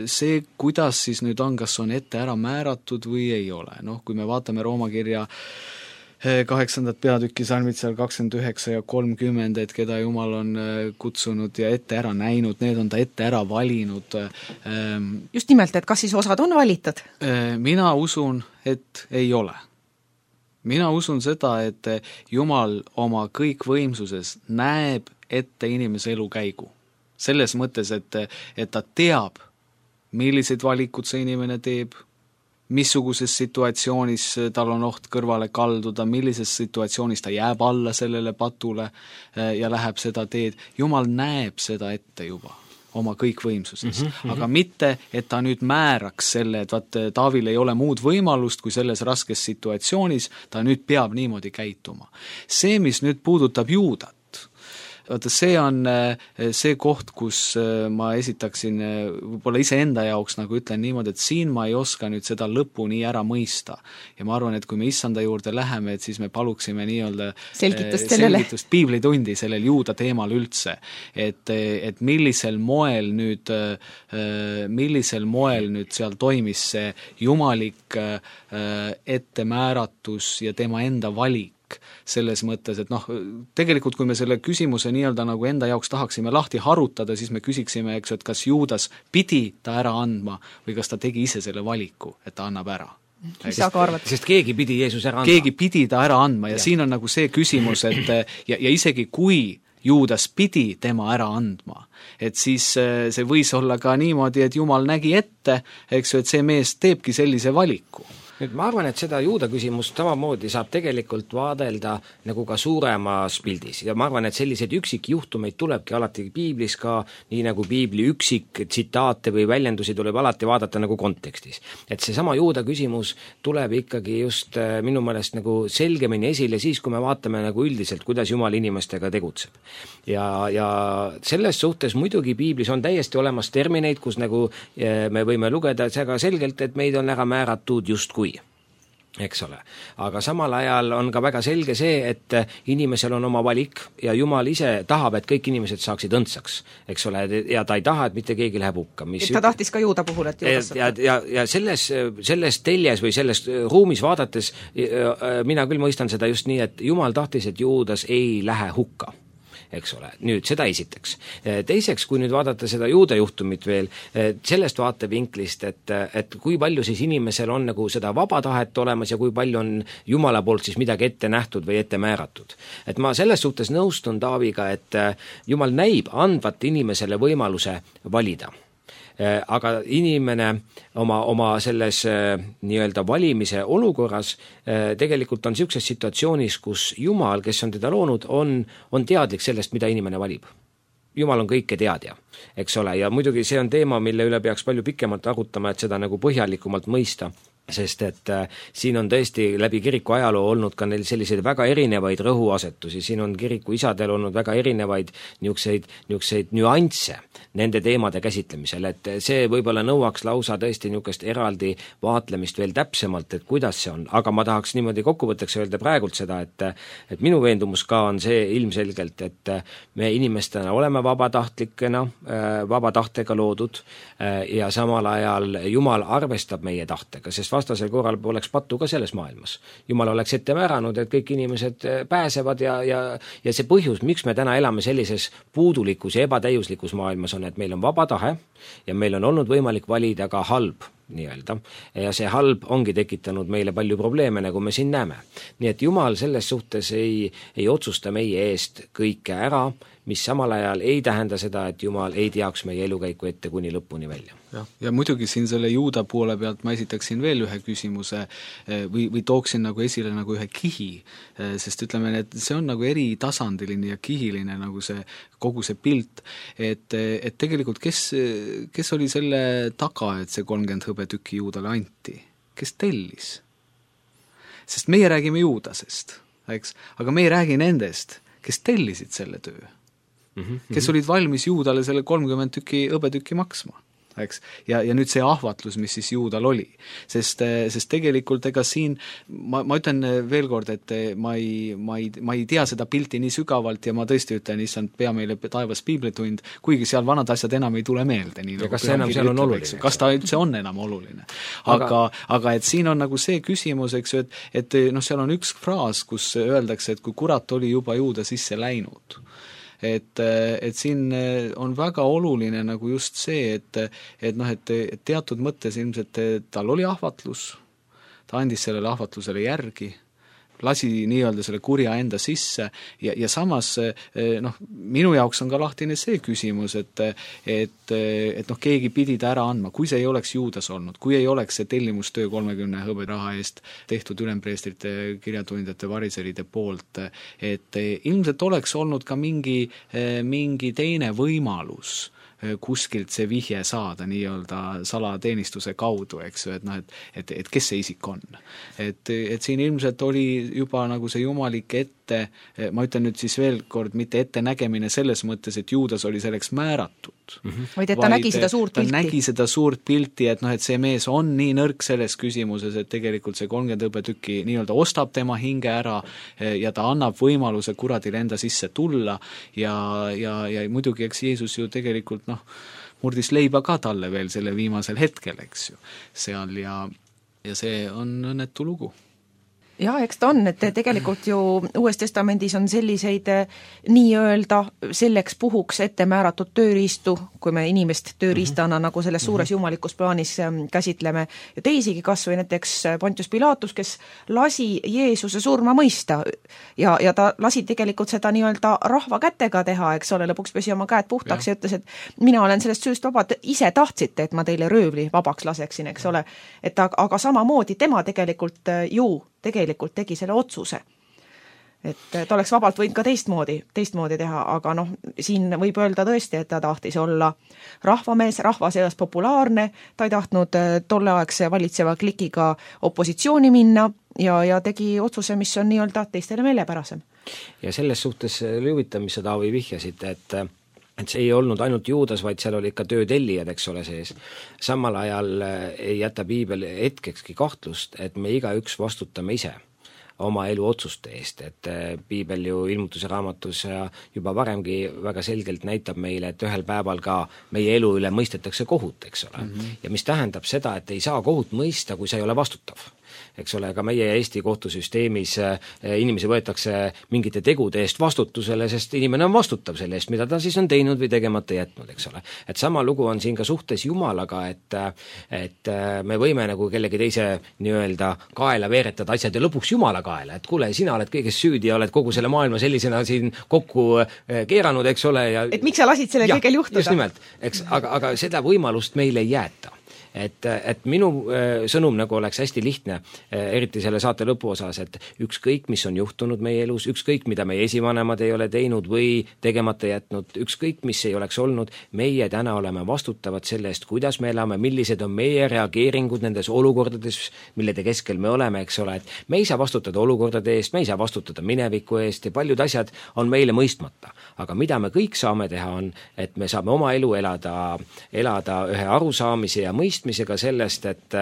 see, kuidas siis nüüd on, kas on ette ära määratud või ei ole. Noh, kui me vaatame Rooma kirja kaheksandat peatükki salmid seal kakskümmend üheksa ja kolmkümmend, et keda Jumal on kutsunud ja ette ära näinud, need on ta ette ära valinud. Just nimelt, et kas siis osad on valitud? Mina usun, et ei ole. Mina usun seda, et Jumal oma kõikvõimsuses näeb ette inimese elu käigu. Selles mõttes, et, et ta teab, millised valikud see inimene teeb, missuguses situatsioonis tal on oht kõrvale kalduda, millises situatsioonis ta jääb alla sellele patule ja läheb seda teed. Jumal näeb seda ette juba oma kõikvõimsuses, mm -hmm. aga mitte, et ta nüüd määraks selle, et vaat Taavil ei ole muud võimalust, kui selles raskes situatsioonis ta nüüd peab niimoodi käituma. See, mis nüüd puudutab Juudat, vaata, see on see koht, kus ma esitaksin võib-olla iseenda jaoks, nagu ütlen niimoodi, et siin ma ei oska nüüd seda lõppu nii ära mõista. Ja ma arvan, et kui me issanda juurde läheme, et siis me paluksime nii-öelda selgitust sellele. Selgitust piiblitundi sellel juuda teemal üldse. Et, et millisel moel nüüd, millisel moel nüüd seal toimis see jumalik ettemääratus ja tema enda valik selles mõttes, et noh, tegelikult kui me selle küsimuse nii-öelda nagu enda jaoks tahaksime lahti harutada, siis me küsiksime, eks, et kas Juudas pidi ta ära andma või kas ta tegi ise selle valiku, et ta annab ära. Mis sa ka arvad? Sest keegi pidi Jeesus ära andma. Keegi pidi ta ära andma ja, ja. siin on nagu see küsimus, et ja, ja isegi kui Juudas pidi tema ära andma, et siis see võis olla ka niimoodi, et Jumal nägi ette, eks ju, et see mees teebki sellise valiku. Nüüd ma arvan, et seda juuda küsimust samamoodi saab tegelikult vaadelda nagu ka suuremas pildis ja ma arvan, et selliseid üksikjuhtumeid tulebki alati piiblis ka, nii nagu piibli üksik tsitaate või väljendusi tuleb alati vaadata nagu kontekstis. Et see sama juuda küsimus tuleb ikkagi just minu meelest nagu selgemini esile siis, kui me vaatame nagu üldiselt, kuidas Jumal inimestega tegutseb. Ja, ja selles suhtes muidugi piiblis on täiesti olemas termineid, kus nagu me võime lugeda väga selgelt, et meid on ära määratud justkui. Eks ole. Aga samal ajal on ka väga selge see, et inimesel on oma valik ja Jumal ise tahab, et kõik inimesed saaksid õndsaks, eks ole, ja ta ei taha, et mitte keegi läheb hukka. Mis ta tahtis ka juuda puhul, et juudas ja, ja, ja selles, selles teljes või selles ruumis vaadates mina küll mõistan seda just nii, et Jumal tahtis, et Juudas ei lähe hukka. Eks ole, nüüd seda esiteks. Teiseks, kui nüüd vaadata seda juuda juhtumit veel, sellest vaatevinklist, et, et kui palju siis inimesel on nagu seda vaba tahet olemas ja kui palju on Jumala poolt siis midagi ette nähtud või ette määratud. Et ma selles suhtes nõustun Taaviga, et Jumal näib andvat inimesele võimaluse valida. Aga inimene oma, oma selles nii-öelda valimise olukorras tegelikult on niisuguses situatsioonis, kus Jumal, kes on teda loonud, on, on teadlik sellest, mida inimene valib. Jumal on kõike teadja, eks ole, ja muidugi see on teema, mille üle peaks palju pikemalt arutama, et seda nagu põhjalikumalt mõista. Sest et äh, siin on tõesti läbi kiriku ajaloo olnud ka neil selliseid väga erinevaid rõhuasetusi, siin on kiriku isadel olnud väga erinevaid niisuguseid, niisuguseid nüansse nende teemade käsitlemisel, et see võib-olla nõuaks lausa tõesti niisugust eraldi vaatlemist veel täpsemalt, et kuidas see on, aga ma tahaks niimoodi kokkuvõtteks öelda praegult seda, et, et minu veendumus ka on see ilmselgelt, et me inimestena oleme vabatahtlikena, vaba tahtega loodud ja samal ajal Jumal arvestab meie tahtega, sest vastasel korral poleks pattu ka selles maailmas. Jumal oleks ette määranud, et kõik inimesed pääsevad ja, ja, ja see põhjus, miks me täna elame sellises puudulikus ja ebatäiuslikus maailmas on, et meil on vaba tahe ja meil on olnud võimalik valida ka halb nii-öelda. Ja see halb ongi tekitanud meile palju probleeme, nagu me siin näeme. Nii et Jumal selles suhtes ei, ei otsusta meie eest kõike ära, mis samal ajal ei tähenda seda, et Jumal ei teaks meie elukäiku ette kuni lõpuni välja. Ja, ja muidugi siin selle juuda poole pealt ma esitaksin veel ühe küsimuse või, või tooksin nagu esile nagu ühe kihi, sest ütleme, et see on nagu eritasandiline ja kihiline nagu see, kogu see pilt, et, et tegelikult kes, kes oli selle taga, et see kolmkümmend hõbetükki juudale anti? Kes tellis? Sest meie räägime juudasest, eks? Aga me ei räägi nendest, kes tellisid selle töö. Mm-hmm. Kes olid valmis juudale selle kolmkümmend tükki hõbetükki maksma. Eks? Ja, ja nüüd see ahvatlus, mis siis juudal oli. Sest, sest tegelikult ega siin, ma, ma ütlen veel kord, et ma ei, ma, ei, ma ei tea seda pilti nii sügavalt ja ma tõesti ütlen, issand, pea meile taevas piiblitund, kuigi seal vanad asjad enam ei tule meelde. Nii, ja kas see enam seal on oluline? Kas ta üldse on enam oluline? Aga, aga, aga et siin on nagu see küsimus, eks ju, et, et noh, seal on üks fraas, kus öeldakse, et kui kurat oli juba juuda sisse läinud, et, et siin on väga oluline nagu just see, et, et, noh, et teatud mõttes ilmselt tal oli ahvatlus, ta andis sellele ahvatlusele järgi, lasi nii-öelda selle kurja enda sisse ja, ja samas noh, minu jaoks on ka lahtine see küsimus, et, et, et noh, keegi pidi ta ära andma, kui see ei oleks juudas olnud, kui ei oleks see tellimustöö kolmekümne hõberaha eest tehtud ülempreestrite, kirjatundjate, variseride poolt, et ilmselt oleks olnud ka mingi, mingi teine võimalus kuskilt see vihje saada nii-öelda salateenistuse kaudu, eks ju, et noh, et, et, et kes see isik on. Et, et siin ilmselt oli juba nagu see jumalik ette, ma ütlen nüüd siis veel kord, mitte ettenägemine selles mõttes, et Juudas oli selleks määratud. Mm-hmm. Vaid et ta vaid nägi seda suurt pilti. Ta nägi seda suurt pilti, et noh, et see mees on nii nõrk selles küsimuses, et tegelikult see kolmkümmend hõbetükki nii-öelda ostab tema hinge ära ja ta annab võimaluse kuradile enda sisse tulla ja, ja, ja muidugi eks Jeesus ju tegelikult noh, murdis leiba ka talle veel selle viimasel hetkel, eks ju, seal ja, ja see on õnnetu lugu. Jah, eks ta on, et tegelikult ju Uues Testamendis on selliseid nii-öelda selleks puhuks ette määratud tööriistu, kui me inimest tööriistana mm-hmm. nagu selles suures jumalikus plaanis käsitleme, ja teisigi kas või näiteks Pontius Pilatus, kes lasi Jeesuse surma mõista ja, ja ta lasi tegelikult seda nii-öelda rahva kätega teha, eks ole, lõpuks pesi oma käed puhtaks ja, ja ütles, et mina olen sellest süüst vaba, ise tahtsite, et ma teile röövli vabaks laseksin, eks ole, et aga, aga samamoodi tema tegelikult ju tegelikult tegi selle otsuse. Et ta oleks vabalt võinud ka teistmoodi, teistmoodi teha, aga noh, siin võib öelda tõesti, et ta tahtis olla rahvamees, rahva seas populaarne, ta ei tahtnud tolleaegse valitseva klikiga opositsiooni minna ja, ja tegi otsuse, mis on nii-öelda teistele meelepärasem. Ja selles suhtes huvitav, mis sa Taavi vihjasid, et et see ei olnud ainult Juudas, vaid seal oli ikka töötellijad, eks ole sees. Samal ajal ei jäta piibel hetkekski kahtlust, et me igaüks vastutame ise oma elu otsuste eest, et piibel ju ilmutuse raamatus juba varemgi väga selgelt näitab meile, et ühel päeval ka meie elu üle mõistetakse kohut, eks ole. Mm-hmm. Ja mis tähendab seda, et ei saa kohut mõista, kui sa ei ole vastutav. Eks ole, ka meie Eesti kohtusüsteemis inimesi võetakse mingite tegude eest vastutusele, sest inimene on vastutav selle eest, mida ta siis on teinud või tegemata jätnud, eks ole. Et sama lugu on siin ka suhtes Jumalaga, et, et me võime nagu kellegi teise nii-öelda kaela veeretada asjad ja lõpuks Jumala kaela, et kuule, sina oled kõiges süüdi ja oled kogu selle maailma sellisena siin kokku keeranud, eks ole. Ja, et miks sa lasid selle kõigel juhtuda? Just nimelt, eks, aga, aga seda võimalust meil ei jäeta. Et, et minu sõnum nagu oleks hästi lihtne, eriti selle saate lõpuosas, et ükskõik, mis on juhtunud meie elus, ükskõik, mida meie esivanemad ei ole teinud või tegemata jätnud, ükskõik, mis ei oleks olnud, meie täna oleme vastutavad selle eest, kuidas me elame, millised on meie reageeringud nendes olukordades, millede keskel me oleme, eks ole, et me ei saa vastutada olukordade eest, me ei saa vastutada mineviku eest ja paljud asjad on meile mõistmata. Aga mida me kõik saame teha on, et me saame oma elu elada, elada ühe arusaamise ja mõist misega sellest, et,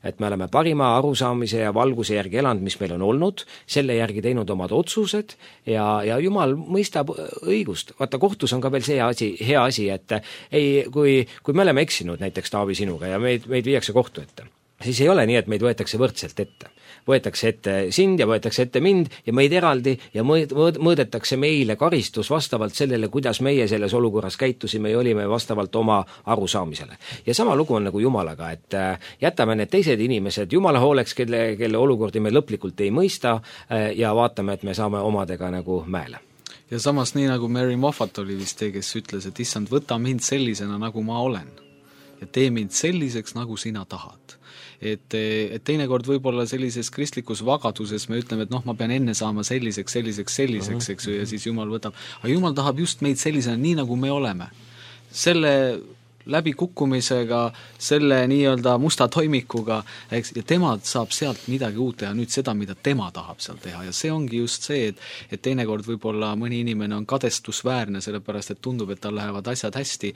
et me oleme parima arusaamise ja valguse järgi elanud, mis meil on olnud, selle järgi teinud omad otsused ja, ja Jumal mõistab õigust. Vaata, kohtus on ka veel see asi, hea asi, et ei, kui, kui me oleme eksinud näiteks Taavi sinuga ja meid, meid viiakse kohtu ette, siis ei ole nii, et meid võetakse võrdselt ette. Võetakse ette sind ja võetakse ette mind ja meid eraldi ja mõõdetakse meile karistus vastavalt sellele, kuidas meie selles olukorras käitusime ja olime vastavalt oma arusaamisele. Ja sama lugu on nagu Jumalaga, et jätame need teised inimesed Jumala hooleks, kelle, kelle olukordi me lõplikult ei mõista ja vaatame, et me saame omadega nagu mäele. Ja samas nii nagu Mary Moffat oli vist see, kes ütles, et issand, võta mind sellisena, nagu ma olen ja tee mind selliseks, nagu sina tahad. Et, et teinekord võib-olla sellises kristlikus vagaduses me ütleme, et noh, ma pean enne saama selliseks, selliseks, selliseks, eks ju, ja siis Jumal võtab, aga Jumal tahab just meid sellisena, nii nagu me oleme. Selle läbi kukkumisega, selle nii-öelda musta toimikuga, eks, ja tema saab sealt midagi uut teha, nüüd seda, mida tema tahab seal teha ja see ongi just see, et, et teinekord võib-olla mõni inimene on kadestusväärne, sellepärast et tundub, et tal lähevad asjad hästi,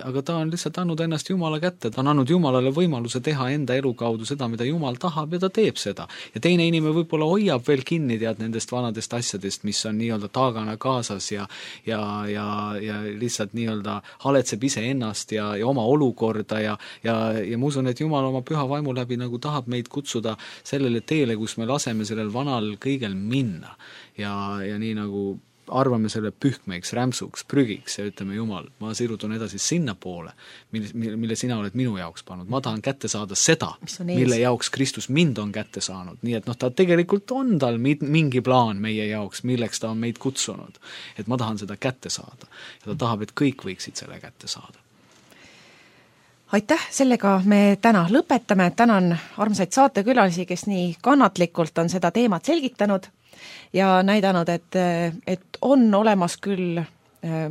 aga ta on lihtsalt andnud ennast Jumala kätte, ta on andnud Jumalale võimaluse teha enda elu kaudu seda, mida Jumal tahab ja ta teeb seda. Ja teine inimene võib-olla hoiab veel kinni tead nendest vanadest asjadest, mis on nii-öelda taagana kaasas ja, ja, ja, ja lihtsalt nii-öelda haletseb ise ennast ja ja oma olukorda ja, ja, ja ma usun, et Jumal oma püha vaimu läbi nagu tahab meid kutsuda sellele teele, kus me laseme sellel vanal kõigel minna. Ja, ja nii nagu arvame selle pühkmeiks, rämpsuks, prügiks ja ütleme, Jumal, ma sirutun edasi sinna poole, mille, mille sina oled minu jaoks pannud. Ma tahan kätte saada seda, mille jaoks Kristus mind on kätte saanud. Nii et noh, ta tegelikult on tal mingi plaan meie jaoks, milleks ta on meid kutsunud. Et ma tahan seda kätte saada. Ja ta tahab, et kõik võiksid selle kätte saada. Aitäh, sellega me täna lõpetame. Tänan armsaid saatekülalisi, kes nii kannatlikult on seda teemat selgitanud ja näidanud, et, et on olemas küll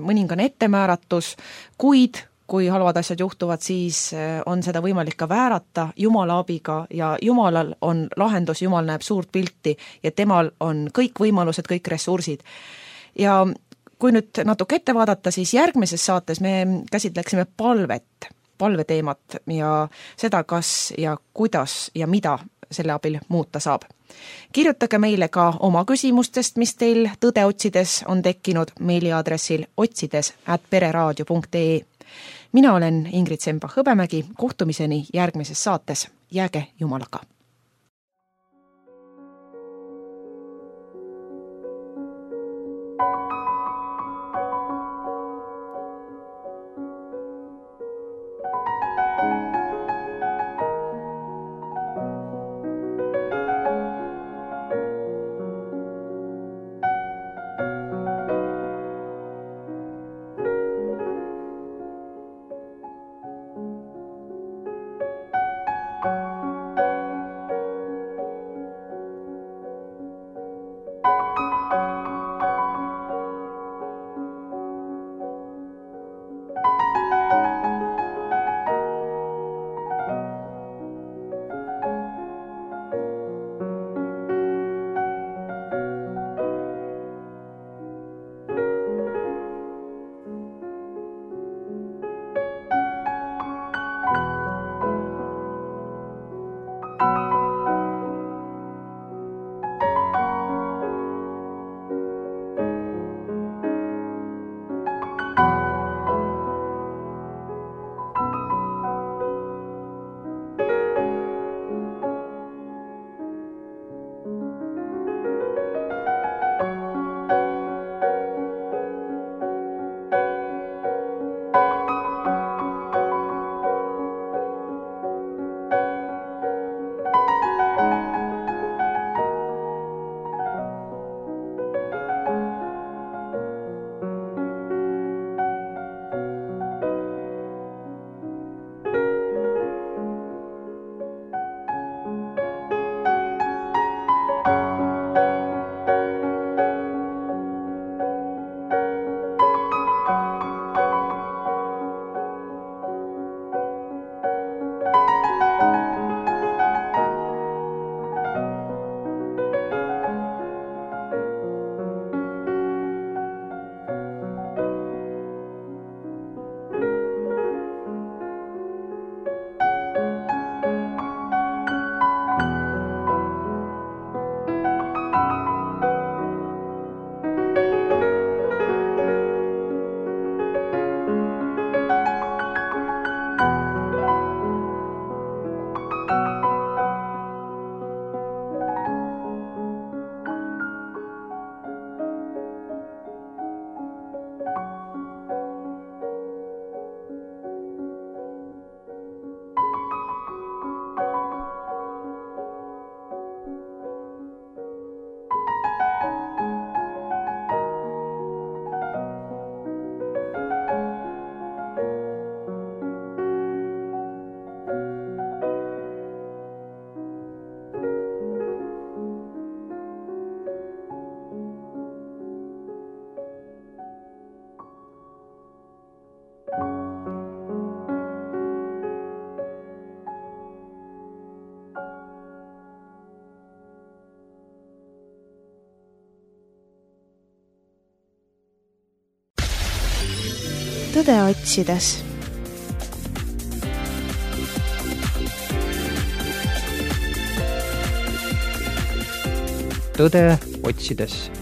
mõningane ettemääratus, kuid kui halvad asjad juhtuvad, siis on seda võimalik ka väärata Jumala abiga ja Jumalal on lahendus, Jumal näeb suurt pilti ja temal on kõik võimalused, kõik ressursid. Ja kui nüüd natuke ette vaadata, siis järgmises saates me käsitleksime palvet, palveteemat ja seda, kas ja kuidas ja mida selle abil muuta saab. Kirjutage meile ka oma küsimustest, mis teil tõde otsides on tekkinud meiliaadressil otsides at pereraadio punkt ee. Mina olen Ingrid Semba-Hõbemägi, kohtumiseni järgmises saates. Jääge Jumalaga! tõde otsides. tõde otsides